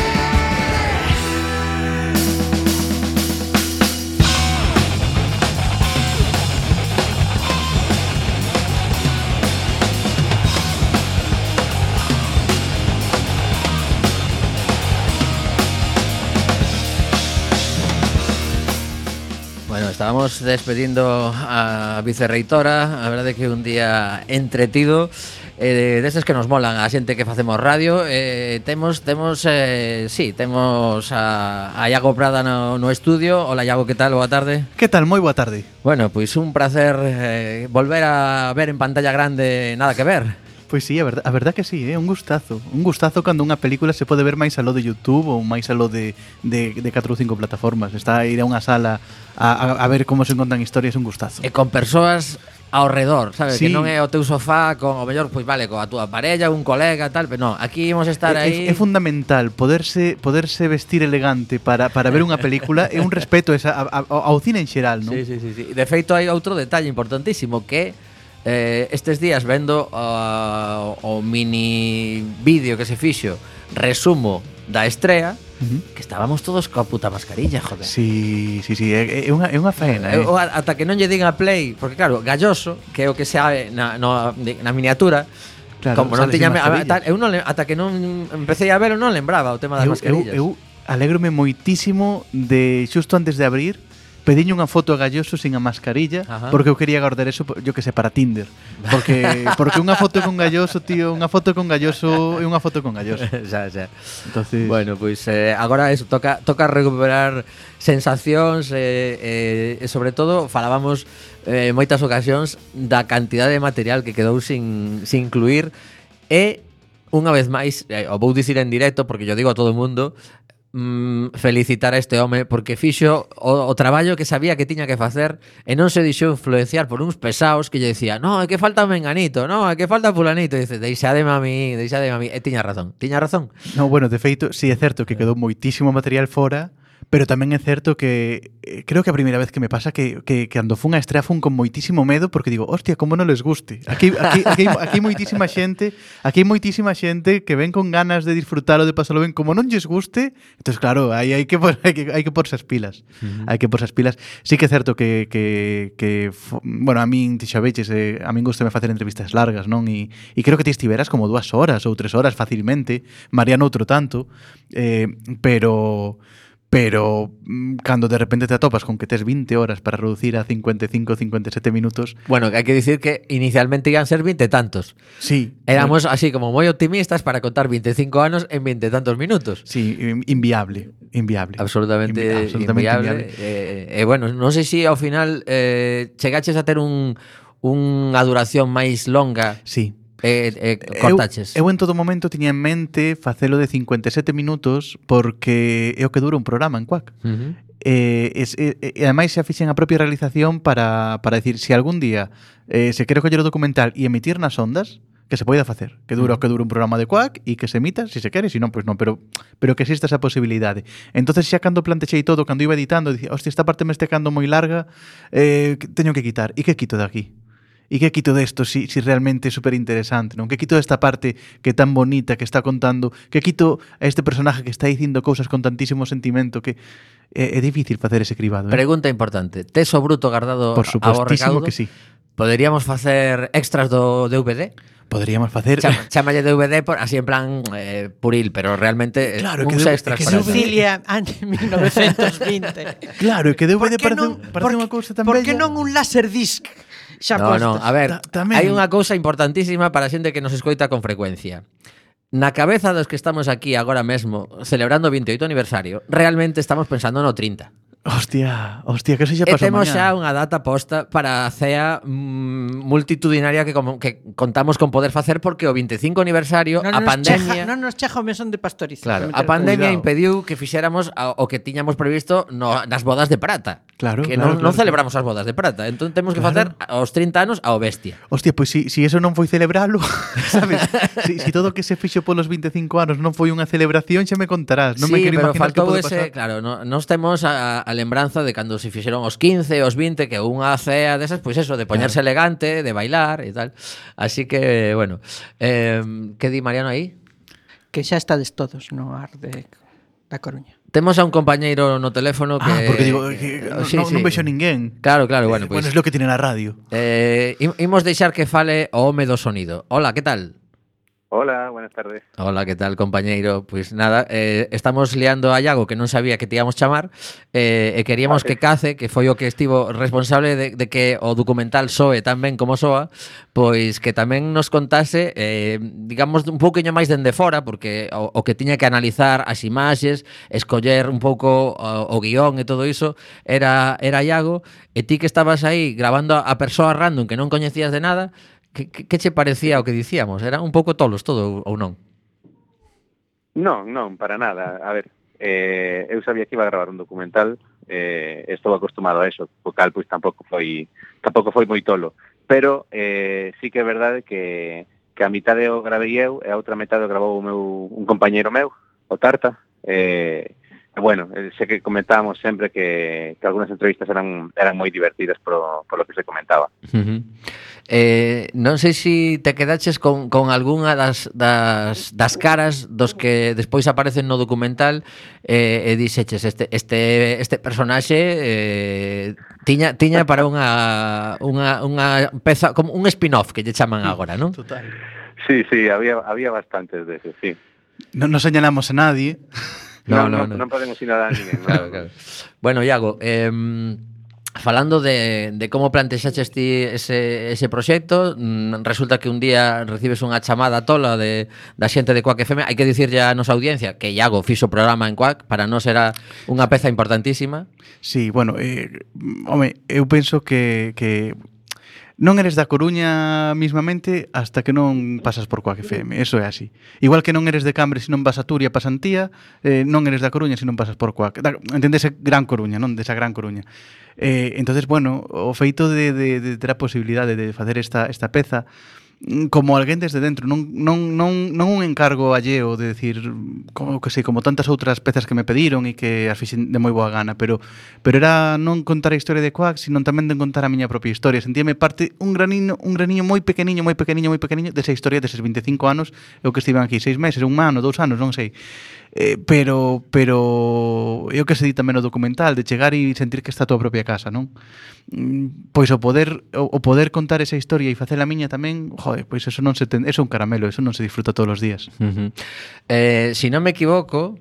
Bueno, estábamos despedindo a vicerreitora. A verdade é que un día entretido, eh, destes que nos molan a xente que facemos radio. eh, Temos, temos, eh, sí, temos a, a Iago Prada no, no estudio. Hola Iago, que tal? Boa tarde. Que tal? Moi boa tarde. Bueno, pois un placer eh, volver a ver en pantalla grande Nada que ver. Pois sí, a verdad, a verdad que sí, é eh? un gustazo. Un gustazo cando unha película se pode ver máis aló de YouTube ou máis aló de, de, de catro ou cinco plataformas. Está a ir a unha sala a, a, a ver como se contan historias, un gustazo. E con persoas ao redor, sabes? Sí. Que non é o teu sofá con o mellor, pois vale, coa túa parella, un colega, tal, pero non, aquí imos estar É, aí. é, é fundamental poderse poderse vestir elegante para, para ver unha película. É un respeto esa, a, a, ao cine en xeral, non? Sí, sí, sí, sí. De feito hai outro detalle importantísimo que eh, estes días vendo uh, o mini vídeo que se fixo, resumo da estrea, Uh-huh. que estábamos todos coa puta mascarilla, joder. Sí, sí, sí, é, é unha, é unha faena, eh? Eu, ata que non lle digan a play, porque claro, Galloso, que é o que se sabe na, no, na miniatura, Claro, como non sales tiña sin a, mascarilla. tal, eu non le- ata que non empecé a verlo non lembraba o tema das eu, eu, mascarillas. eu alégrome moitísimo de xusto antes de abrir pediño unha foto a Galloso sin a mascarilla. Ajá. Porque eu quería guardar eso, yo que sé, para Tinder. Porque porque unha foto con Galloso, tío, unha foto con Galloso é unha foto con Galloso. xa, xa. Entonces, Bueno, pois eh, agora eso, toca toca recuperar sensacións e, eh, e sobre todo falábamos eh, moitas ocasións da cantidade de material que quedou sin, sin incluir e unha vez máis, eh, o vou dicir en directo porque yo digo a todo o mundo, mm, felicitar a este home porque fixo o, o traballo que sabía que tiña que facer e non se deixou influenciar por uns pesaos que lle decía no, é que falta menganito, no, é que falta fulanito e dice, deixademe a mí, deixademe a mí e tiña razón, tiña razón. no, bueno, de feito, sí é certo que quedou moitísimo material fora, pero tamén é certo que eh, creo que a primeira vez que me pasa que, que, que cando fun a estrea fun con moitísimo medo porque digo, hostia, como non les guste. Aquí, aquí, aquí, aquí hai moitísima xente, aquí hai moitísima xente que ven con ganas de disfrutalo, de pasalo ben, como non lles guste, entonces claro, aí hai que por, hai que hai que porse as pilas. Uh-huh. Hai que porse as pilas. Sí que é certo que que que fo, bueno, a min ti xa veches, eh, a min gustame facer entrevistas largas, non? E e creo que ti estiveras como dúas horas ou tres horas facilmente, Mariano outro tanto, eh, pero pero mm, cando de repente te atopas con que tes vinte horas para reducir a cincuenta y cinco, cincuenta y siete minutos. Bueno, que hai que dicir que inicialmente iban a ser veinte tantos. Sí. Éramos así como moi optimistas para contar veinticinco anos en veinte tantos minutos. Sí, inviable, inviable. Absolutamente, Invi- absolutamente inviable. inviable. E eh, eh, bueno, non sei se ao final eh, chegaches a ter un unha duración máis longa. Sí. E eh, eh, cortaches. Eu, eu en todo momento tiña en mente facelo de cincuenta y siete minutos porque é o que dura un programa en Quack. Uh-huh. E, es, e, e ademais xa fixen a propia realización para, para decir, se algún día eh, se quero coller o documental e emitir nas ondas, que se poida facer, que dura o que dura un programa de Quack e que se emita, se se quere, se non, pois non, pero pero que exista esa posibilidade. Entonces xa cando plantexei todo, cando iba editando, dicía, hostia, esta parte me este cando moi larga, eh, teño que quitar. E que quito de aquí? E que quito desto si, si realmente é super interesante, non? Que quito desta parte que é tan bonita que está contando, que quito a este personaje que está dicindo cousas con tantísimo sentimento que é, é difícil facer ese cribado, eh? Pregunta importante, tes o bruto guardado Por a supuestísimo recaudo? que sí. Poderíamos facer extras do D V D? Poderíamos facer... Chama, chamalle D V D por, así en plan eh, puril, pero realmente Claro, uns que de- extras que para de- Sicilia, antes de mil novecientos vinte. Claro, é que D V D Por que parece, non, parece por, unha cousa tan por bella. que non un laserdisc xa No, postos? no, a ver, Ta- tamén. hai unha cousa importantísima para a xente que nos escoita con frecuencia. na cabeza dos que estamos aquí agora mesmo celebrando o vinte e oito aniversario, realmente estamos pensando no trinta. Hostia, hostia, que se xa E pasou temos mañá. xa unha data posta para a cea mm, multitudinaria que, como, que contamos con poder facer porque o vinte e cinco aniversario, Non a nos pandemia... cheja, non nos cheja o mesón de pastoriza. Claro, que me a interesa. pandemia Cuidado. impediu que fixéramos a- o que tiñamos previsto no, nas bodas de prata. Claro, que claro, non, non claro, celebramos as bodas de prata. Entón temos que Claro. facer aos trinta anos ao bestia. Hostia, pois si, si eso non foi celebralo, sabes? Si, si todo o que se fixo polos vinte e cinco anos non foi unha celebración, xa me contarás. Non me Sí, quero pero imaginar que faltou pode ese, pasar. claro, no, nos temos a, a lembranza de cando se fixeron os quince, os vinte, que unha cea desas, pois eso, de poñerse claro. elegante, de bailar e tal. Así que, bueno, eh, que di Mariano aí? Que xa estades todos no ar de da Coruña. Temos a un compañeiro no teléfono que... Ah, porque digo, que, que- non, sí, non, sí. non vexo ninguén. Claro, claro, bueno, Eh, pois... bueno, es lo que tiene na radio. Eh, im- imos deixar que fale o home do sonido. Hola, que tal? Hola, buenas tardes. Hola, que tal, compañeiro? Pois nada, eh, estamos liando a Iago, que non sabía que te íamos chamar, eh, e queríamos Vale. que Cace, que foi o que estivo responsable de, de que o documental soe tan ben como soa, pois que tamén nos contase, eh, digamos, un pouquinho máis dende fora, porque o, o que tiña que analizar as imaxes, escoller un pouco o, o guión e todo iso, era, era Iago, e ti que estabas aí grabando a persoa random que non coñecías de nada, que, que, que che parecía o que dicíamos? Era un pouco tolos todo ou non? Non, non, para nada. A ver, eh, eu sabía que iba a gravar un documental, eh, estou acostumado a eso, o cal pois tampouco foi tampouco foi moi tolo, pero eh, sí que é verdade que, que a mitade o gravei eu e a outra metade o gravou o meu, un compañeiro meu, o Tarta, eh, e bueno, eh, sei que comentábamos sempre que, que algunhas entrevistas eran eran moi divertidas por, por lo que se comentaba. Uh-huh. Eh, non sei se te quedaches con, con algunha das, das, das caras dos que despois aparecen no documental eh, e dixeches este, este, este personaxe eh, tiña, tiña para unha, unha, unha peza, como un spin-off que lle chaman agora, non? Total. Sí, sí, había había bastantes de esos, sí. Non nos señalamos a nadie. No, No, no, no, no. non podemos ir a ninguén. Claro, claro. Bueno, Iago, eh, falando de, de como plantexaches ti ese, ese proxecto, mm, resulta que un día recibes unha chamada tola de, da xente de Quack F M. Hai que dicirlle a nosa audiencia que Iago fixo o programa en Quack, para nós era unha peza importantísima. Sí, bueno, eh, home, eu penso que, que non eres da Coruña mismamente hasta que non pasas por Quack F M, eso é así. Igual que non eres de Cambre se non vas a Turia, pasantía, eh, non eres da Coruña se non pasas por Quack. Da, entendese Gran Coruña, non desa Gran Coruña. Eh, entonces, bueno, o feito de, de, de ter a posibilidade de facer esta, esta peza como alguén desde dentro, non, non, non, non un encargo alleo de decir, como que sei, como tantas outras pezas que me pediron e que as fixen de moi boa gana, pero pero era non contar a historia de Quack, sino tamén de contar a miña propia historia. Sentíame parte un graniño, un graniño moi pequeniño, moi pequeniño, moi pequeniño desa historia deses vinte e cinco anos, eu que estiven aquí seis meses, un ano, dous anos, non sei. Eh, pero pero eu que se di tamén no documental de chegar e sentir que está a tua propia casa, non? Mm, Pois o poder o, o poder contar esa historia e facer a miña tamén, joder, pois eso non se ten, eso é un caramelo, eso non se disfruta todos os días. Uh-huh. Eh, si non me equivoco,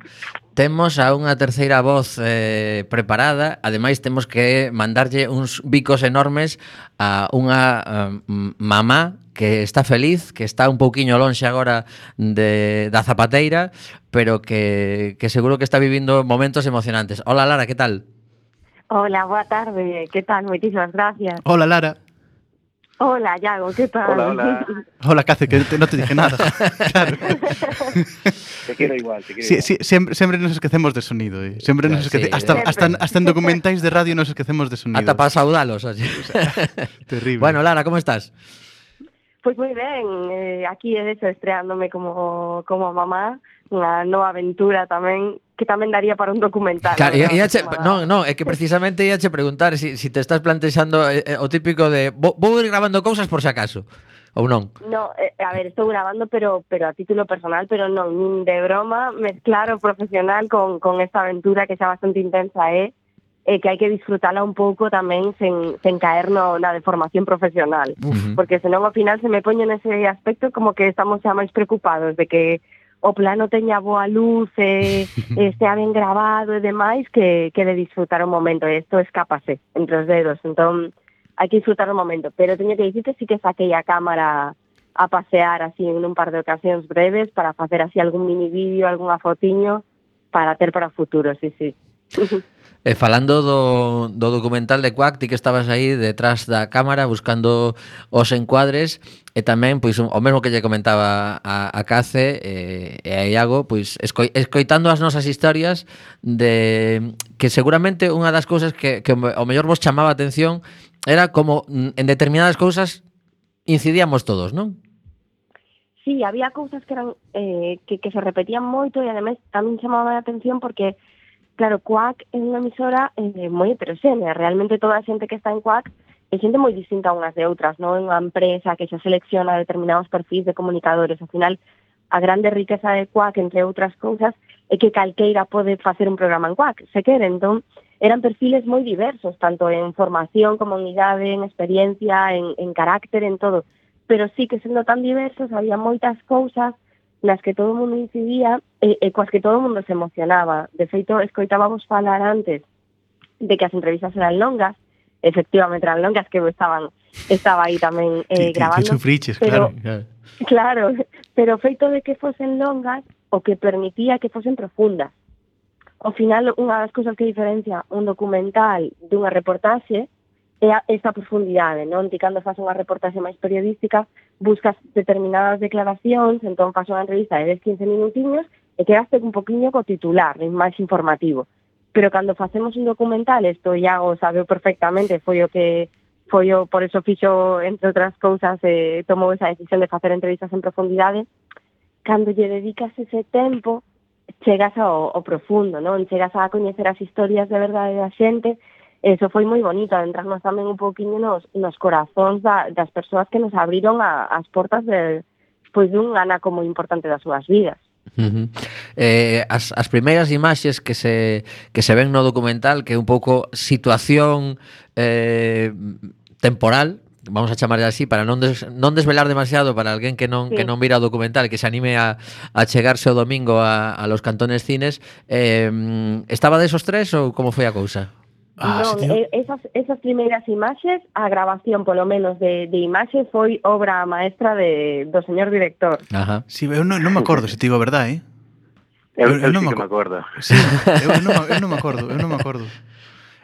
temos a unha terceira voz eh, preparada. Ademais, temos que mandarlle uns bicos enormes a unha um, mamá que está feliz, que está un pouquiño lonxe agora de, da zapateira, pero que, que seguro que está vivindo momentos emocionantes. Hola, Lara, que tal? Hola, boa tarde, que tal? Moitísimas gracias. Hola, Lara. Hola, Iago, que tal? Hola, hola. Hola, Cace, que te, non te dije nada. Claro. Te quiero igual, te quiero Sí, igual. sí, sempre, sempre nos esquecemos de sonido, eh. Sempre Claro, nos esquece, sí, hasta, eh. hasta, hasta en documentais de radio nos esquecemos de sonido. Ata para saudalos. Así. Terrible. Bueno, Lara, como estás? Pois moi ben, eh, aquí é eso, estreándome como, como mamá, unha nova aventura tamén, que tamén daría para un documental. Claro, non? ia che, non, non, é que precisamente ia che preguntar si, si te estás plantexando eh, eh, o típico de vou, vou ir grabando cousas por si acaso, ou non? No, eh, a ver, estou grabando, pero pero a título personal, pero non, nin de broma, mezclar o profesional con, con esta aventura que xa bastante intensa é, e que hai que disfrutala un pouco tamén sen, sen caer no, na deformación profesional. Uh-huh. Porque senón ao final se me poño nese aspecto como que estamos xa máis preocupados de que o plano teña boa luz e estea ben grabado e demais que, que de disfrutar o momento. E isto escápase entre os dedos, entón hai que disfrutar o momento. Pero teño que dicirte sí que saquei a cámara a pasear así en un par de ocasións breves para facer así algún mini vídeo, algunha fotiño para ter para o futuro, sí, sí. E falando do, do documental de Quack, ti que estabas aí detrás da cámara buscando os encuadres, e tamén, pois, o mesmo que lle comentaba a, a Cace e, e a Iago, pois, escoi, escoitando as nosas historias de que seguramente unha das cousas que, que o mellor vos chamaba a atención era como en determinadas cousas incidíamos todos, non? Sí, había cousas que eran eh, que, que se repetían moito e ademais tamén chamaba a atención porque claro, Quack é unha emisora eh, moi heteroxénea. Realmente toda a xente que está en Quack é xente moi distinta unhas de outras, non é unha empresa que xa selecciona determinados perfis de comunicadores. Ao final, a grande riqueza de Quack, entre outras cousas, é que calqueira pode facer un programa en Quack, se quere. Entón, eran perfiles moi diversos, tanto en formación como en idade, en experiencia, en, en carácter, en todo. Pero sí que sendo tan diversos, había moitas cousas nas que todo o mundo incidía e, e coas que todo o mundo se emocionaba. De feito, escoitábamos falar antes de que as entrevistas eran longas, efectivamente eran longas, que estaban estaba aí tamén eh, grabando. Te sufriches, pero, claro, claro. Claro, pero o feito de que fosen longas, o que permitía que fosen profundas. Ao final, unha das cousas que diferencia un documental dunha reportaxe é esta profundidade, non? Ti cando faz unha reportaxe máis periodística buscas determinadas declaracións, entón faz unha entrevista de dez a quince minutiños e quedaste un poquinho co titular, máis informativo. Pero cando facemos un documental, isto Iago sabe perfectamente, foi o que foi o, por eso fixo, entre outras cousas, eh, tomou esa decisión de facer entrevistas en profundidade. Cando lle dedicas ese tempo, chegas ao, ao profundo, non? Chegas a coñecer as historias de verdade da xente. Eso foi moi bonito, adentrarnos tamén un poquinho nos, nos corazóns da, das persoas que nos abriron a, as portas de, pois, dun anaco moi importante das súas vidas. Uh-huh. eh, as, as primeiras imaxes que se, que se ven no documental, que é un pouco situación eh, temporal, vamos a chamarlle así, para non, des, non desvelar demasiado para alguén que non, sí. que non mira o documental, que se anime a, a chegarse o domingo a, a los Cantones Cines. Eh, estaba desos tres ou como foi a cousa? Ah, non, sí, esas, esas primeiras imaxes, a grabación polo menos de, de imaxe foi obra maestra de, do señor director. Ajá. Sí, eu non, non me acordo se te digo a verdade, eh? Eu, eu, eu non sí me que me acordo. Sí, eu, non, eu non me acordo, eu non me acordo.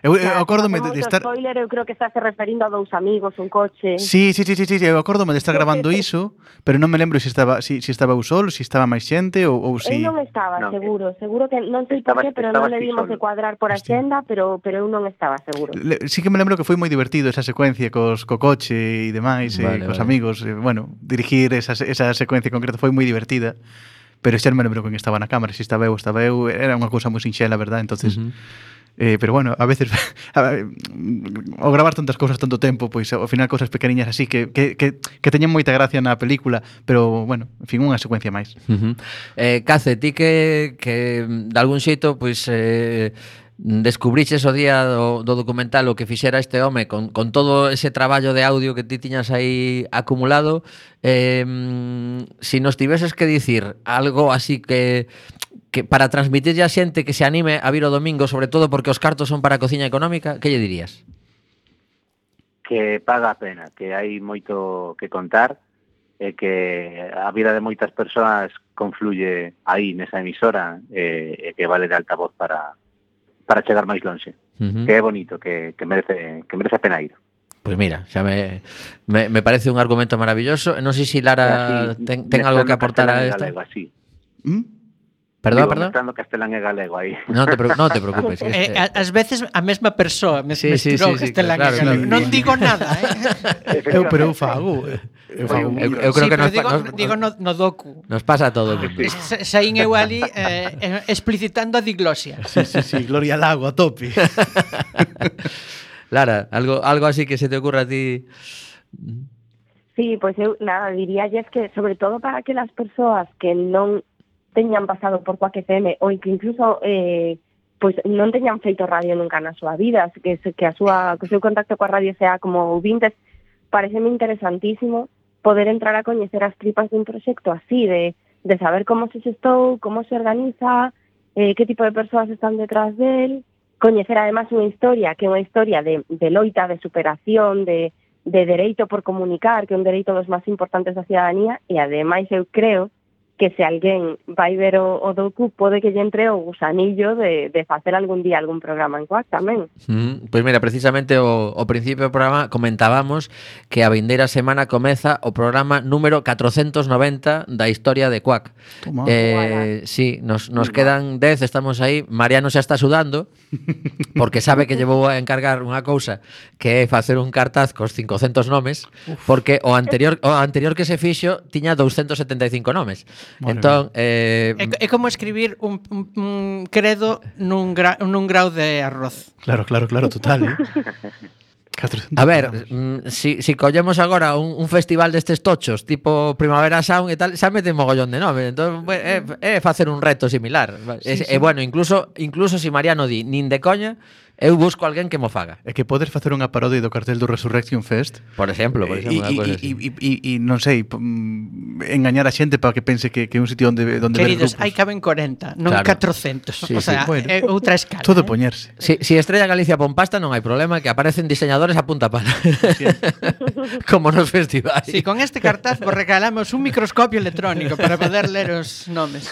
Eu, eu acórdome de, de estar... spoiler, eu creo que estás referindo a dous amigos, un coche... Sí, sí, sí, sí, sí, eu acórdome de estar grabando iso, pero non me lembro se si estaba si, si estaba eu solo, se si estaba máis xente ou, ou si... Eu non estaba, no, seguro, seguro que non sei por qué, pero non le dimos de cuadrar por a xenda, pero, pero eu non estaba, seguro. Le, sí que me lembro que foi moi divertido esa secuencia cos, co coche e demais, vale, e cos vale. amigos, e, bueno, dirigir esa, esa secuencia concreta foi moi divertida, pero xa non me lembro quen estaba na cámara, se si estaba eu, estaba eu, era unha cousa moi sinxela, verdad? Entonces... Uh-huh. Eh, pero bueno, a veces ao gravar tantas cousas tanto tempo, pois ao final cousas pequeniñas así que, que, que, que teñen moita gracia na película, pero bueno, en fin, unha secuencia máis. Uh-huh. eh, Cace, ti que, que de algún xeito pois eh, descubriches o día do, do documental o que fixera este home con, con todo ese traballo de audio que ti tiñas aí acumulado, eh, si nos tiveses que dicir algo así que que para transmitirlle a xente que se anime a vir o domingo, sobre todo porque os cartos son para a cociña económica, que lle dirías? Que paga a pena, que hai moito que contar e que a vida de moitas persoas confluye aí nesa emisora e, e que vale de altavoz para, para chegar máis lonxe. Uh-huh. Que é bonito, que, que, merece, que merece a pena ir. Pois pues mira, xa me, me, me parece un argumento maravilloso. Non sei se Lara así, ten, ten algo que aportar a isto. ¿Mm? Perdón, Digo, perdón. Mezclando castelán e galego aí. Non te, non te preocupes. Eh, ás veces a mesma persoa me sí, mesturou sí, sí, castelán claro, e galego. claro. Non digo nada, eh. eu, pero eu fago. Eu, fago. eu, eu creo sí, que nos, digo, nos, digo no, no docu. Nos pasa a todo. Ah, saín eu ali eh, explicitando a diglosia. Sí, sí, sí, Gloria Lago a tope. Lara, algo, algo así que se te ocurra a ti... Sí, pois eu nada, diríalles que sobre todo para que las persoas que non teñan pasado por Quack F M ou que incluso eh, pois non teñan feito radio nunca na súa vida, que, que, a súa, que o seu contacto coa radio sea como ouvintes, pareceme interesantísimo poder entrar a coñecer as tripas dun proxecto así, de, de saber como se xestou, como se organiza, eh, que tipo de persoas están detrás del, coñecer además unha historia que é unha historia de, de loita, de superación, de, de dereito por comunicar, que é un dereito dos máis importantes da cidadanía, e ademais eu creo que se alguén vai ver o, o docu pode que lle entre o gusanillo de, de facer algún día algún programa en Quack tamén. Mm, pois mira, precisamente o, o principio do programa comentábamos que a vindeira semana comeza o programa número catrocentos noventa da historia de Quack. Toma. Eh, sí, nos, nos quedan dez, estamos aí. Mariano xa está sudando porque sabe que llevou a encargar unha cousa que é facer un cartaz cos cincocentos nomes, porque o anterior o anterior que se fixo tiña doscientos setenta e cinco nomes. Madre entón, eh, É, é como escribir un, un, un credo nun, gra, nun grau de arroz. Claro, claro, claro, total, eh? a ver, mm, si, si collemos agora un, un festival destes tochos, tipo Primavera Sound e tal, xa mete mogollón de nome. Entón, é, é facer un reto similar. E sí, sí. bueno, incluso incluso si Mariano di nin de coña, eu busco alguén que mo faga. É que podes facer unha parodia do cartel do Resurrection Fest. Por exemplo, por exemplo, e, e, e, e, e non sei, engañar a xente para que pense que, que é un sitio onde, onde Queridos, ver grupos. hai caben corenta, non Claro. catrocentos. Sí, o sea, sí. Bueno. é outra escala. Todo eh? poñerse. Si, si Estrella Galicia pon pasta non hai problema, que aparecen diseñadores a punta pala. Como nos festivais. Sí, con este cartaz vos regalamos un microscopio electrónico para poder ler os nomes.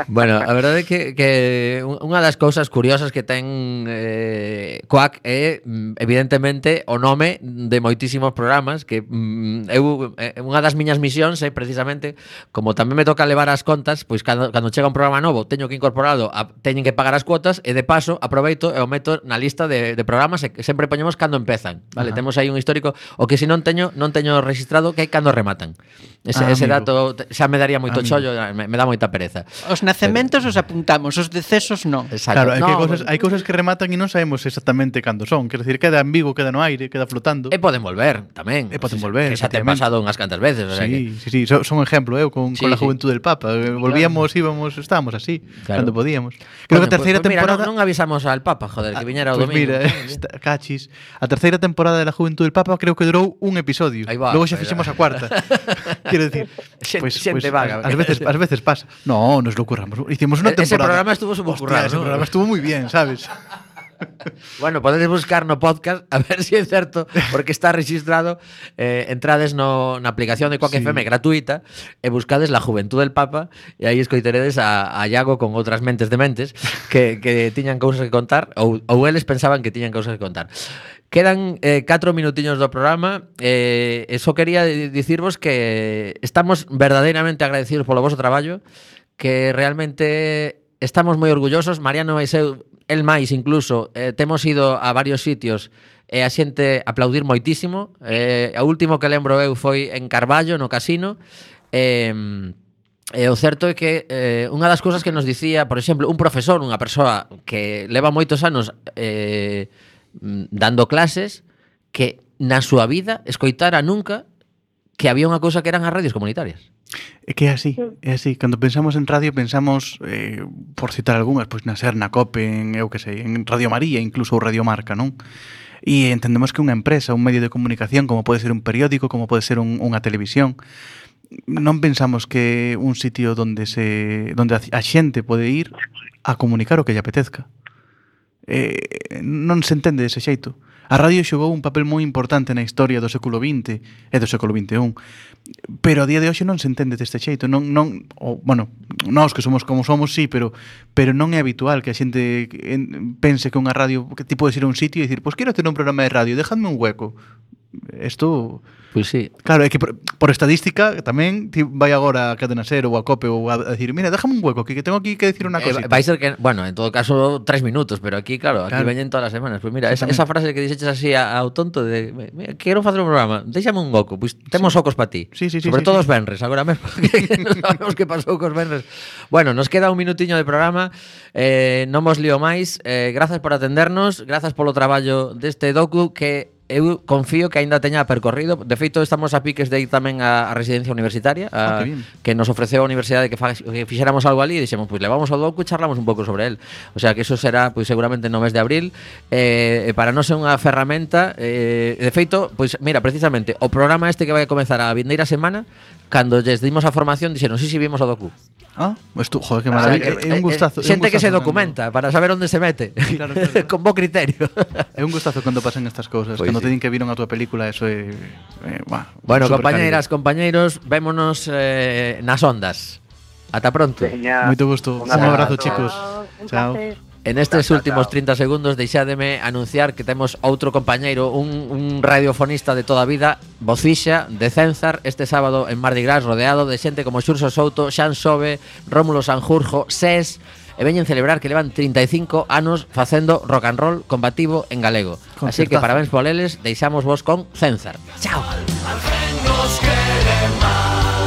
Bueno, a verdade é que, que unha das cousas curiosas que ten eh, Quack é, evidentemente, o nome de moitísimos programas que mm, eu, eh, unha das miñas misións é precisamente, como tamén me toca levar as contas, pois cando, cando chega un programa novo teño que incorporarlo, a, teñen que pagar as cuotas e de paso aproveito e o meto na lista de, de programas e que sempre poñemos cando empezan, vale? Ajá. Temos aí un histórico, o que se non teño non teño registrado que hai cando rematan. Ese, Ah, ese amigo. dato xa me daría moito Amigo. chollo, me, me dá moita pereza. Os nacementos os apuntamos, os decesos non. Exacto. Claro, hai, No, que cousas, bueno. hai cousas que rematan e non sabemos exactamente cando son. Quero decir, queda ambiguo, queda no aire, queda flotando. E poden volver tamén. E poden Que- volver, Que xa te efectivamente. pasado unhas cantas veces, o sea que... Sí, sí, sí, son, son ejemplo, eu con, Sí, con la sí. juventud del Papa. Eh, Volvíamos, íbamos, estábamos así, Claro. cando podíamos. Creo Coño, que a terceira pues, pues mira, temporada... non, non avisamos al Papa, joder, que viñera o Pues domingo. mira, esta, cachis. A terceira temporada de la Juventud del Papa creo que durou un episodio. Aí va, Logo xa aí fixemos va. a cuarta. Quero decir, Xente- pues, xente pues, vaga. Ás veces, ás veces pasa. No, nos lo curramos. Hicimos una E- ese temporada. programa estuvo súper Hostia, currado, ese ¿no? programa estuvo muy bien, ¿sabes? Bueno, podedes buscar no podcast a ver se si é certo, porque está registrado. Eh, entrades no, na aplicación de Quack Sí. F M gratuita e buscades La Juventud del Papa e aí escoiteredes a, a Iago con outras mentes de mentes que, que tiñan cousas que contar ou, ou eles pensaban que tiñan cousas que contar. Quedan eh, catro minutiños do programa eh, e só quería di- dicirvos que estamos verdadeiramente agradecidos polo voso traballo, que realmente estamos moi orgullosos. Mariano e eu, el máis incluso, eh, temos ido a varios sitios e a xente aplaudir moitísimo. Eh, o último que lembro eu foi en Carballo, no casino. E, e o certo é que eh, unha das cousas que nos dicía, por exemplo, un profesor, unha persoa que leva moitos anos eh, dando clases, que na súa vida escoitara nunca que había unha cousa que eran as radios comunitarias. É que é así, é así. Cando pensamos en radio, pensamos, eh, por citar algunhas, pois na SER, na COPE, en, eu que sei, en Radio María, incluso ou Radio Marca, non? E entendemos que unha empresa, un medio de comunicación, como pode ser un periódico, como pode ser un, unha televisión, non pensamos que un sitio donde se donde a a xente pode ir a comunicar o que lle apetezca. Eh, non se entende dese xeito. A radio xogou un papel moi importante na historia do século vinte e do século vinte e un, pero a día de hoxe non se entende deste xeito. Non, non, o, bueno, nós que somos como somos, sí, pero pero non é habitual que a xente en, pense que unha radio, que ti podes ir a un sitio e dicir, pois pues quero ter un programa de radio, dejadme un hueco. Isto... Pois sí. Claro, é que por, por estadística tamén ti vai agora a Cadena Ser ou a COPE ou a, a decir, mira, déjame un hueco, que, que tengo aquí que decir unha Eh, cosita. vai ser que, bueno, en todo caso tres minutos, pero aquí, claro, aquí Claro. veñen todas as semanas. Pois mira, esa, Exactamente. esa frase que dixeches así a- ao tonto de, mira, quero facer un programa, déxame un oco, pois temos ocos para ti. Sí, sí, sí, Sobre sí, todo sí. os venres, agora mesmo, que non sabemos que pasou cos venres. Bueno, nos queda un minutiño de programa, eh, non vos lío máis, eh, grazas por atendernos, grazas polo traballo deste docu que eu confío que aínda teña percorrido. De feito, estamos a piques de ir tamén á, á residencia universitaria, a, Ah, que bien. que nos ofreceu a universidade que, fa, que fixéramos algo ali e dixemos, pois levamos ao docu e charlamos un pouco sobre el. O sea, que eso será pois seguramente no mes de abril. Eh, e para nós é unha ferramenta, eh, de feito, pois mira, precisamente, o programa este que vai a comezar a vindeira semana, cando lles dimos a formación, dixeron, sí, sí, vimos o docu. Ah, pues tú, joder, que maravilla. É un gustazo. Xente que se documenta para saber onde se mete. Claro, claro. Con bo criterio. É un gustazo cando pasan estas cousas. Pois Cando sí. te din que viron a túa película, eso é... é bah, Bueno, supercariño. compañeiras, compañeiros, vémonos eh, nas ondas. Ata pronto. Veña, Moito gusto. Un abrazo, chicos. Un Chao. placer. En estes Chao, chao, últimos chao. trinta segundos deixádeme anunciar que temos outro compañeiro, un, un radiofonista de toda a vida, vocixa de Cénzar, este sábado en Mardi Gras, rodeado de xente como Xurxo Souto, Xan Sobe, Rómulo Sanjurjo, Sés, e veñen celebrar que levan trinta e cinco anos facendo rock and roll combativo en galego. Así que Concertazo. parabéns poleles, deixamos vos con Cénzar. Chao. Nos quiere más.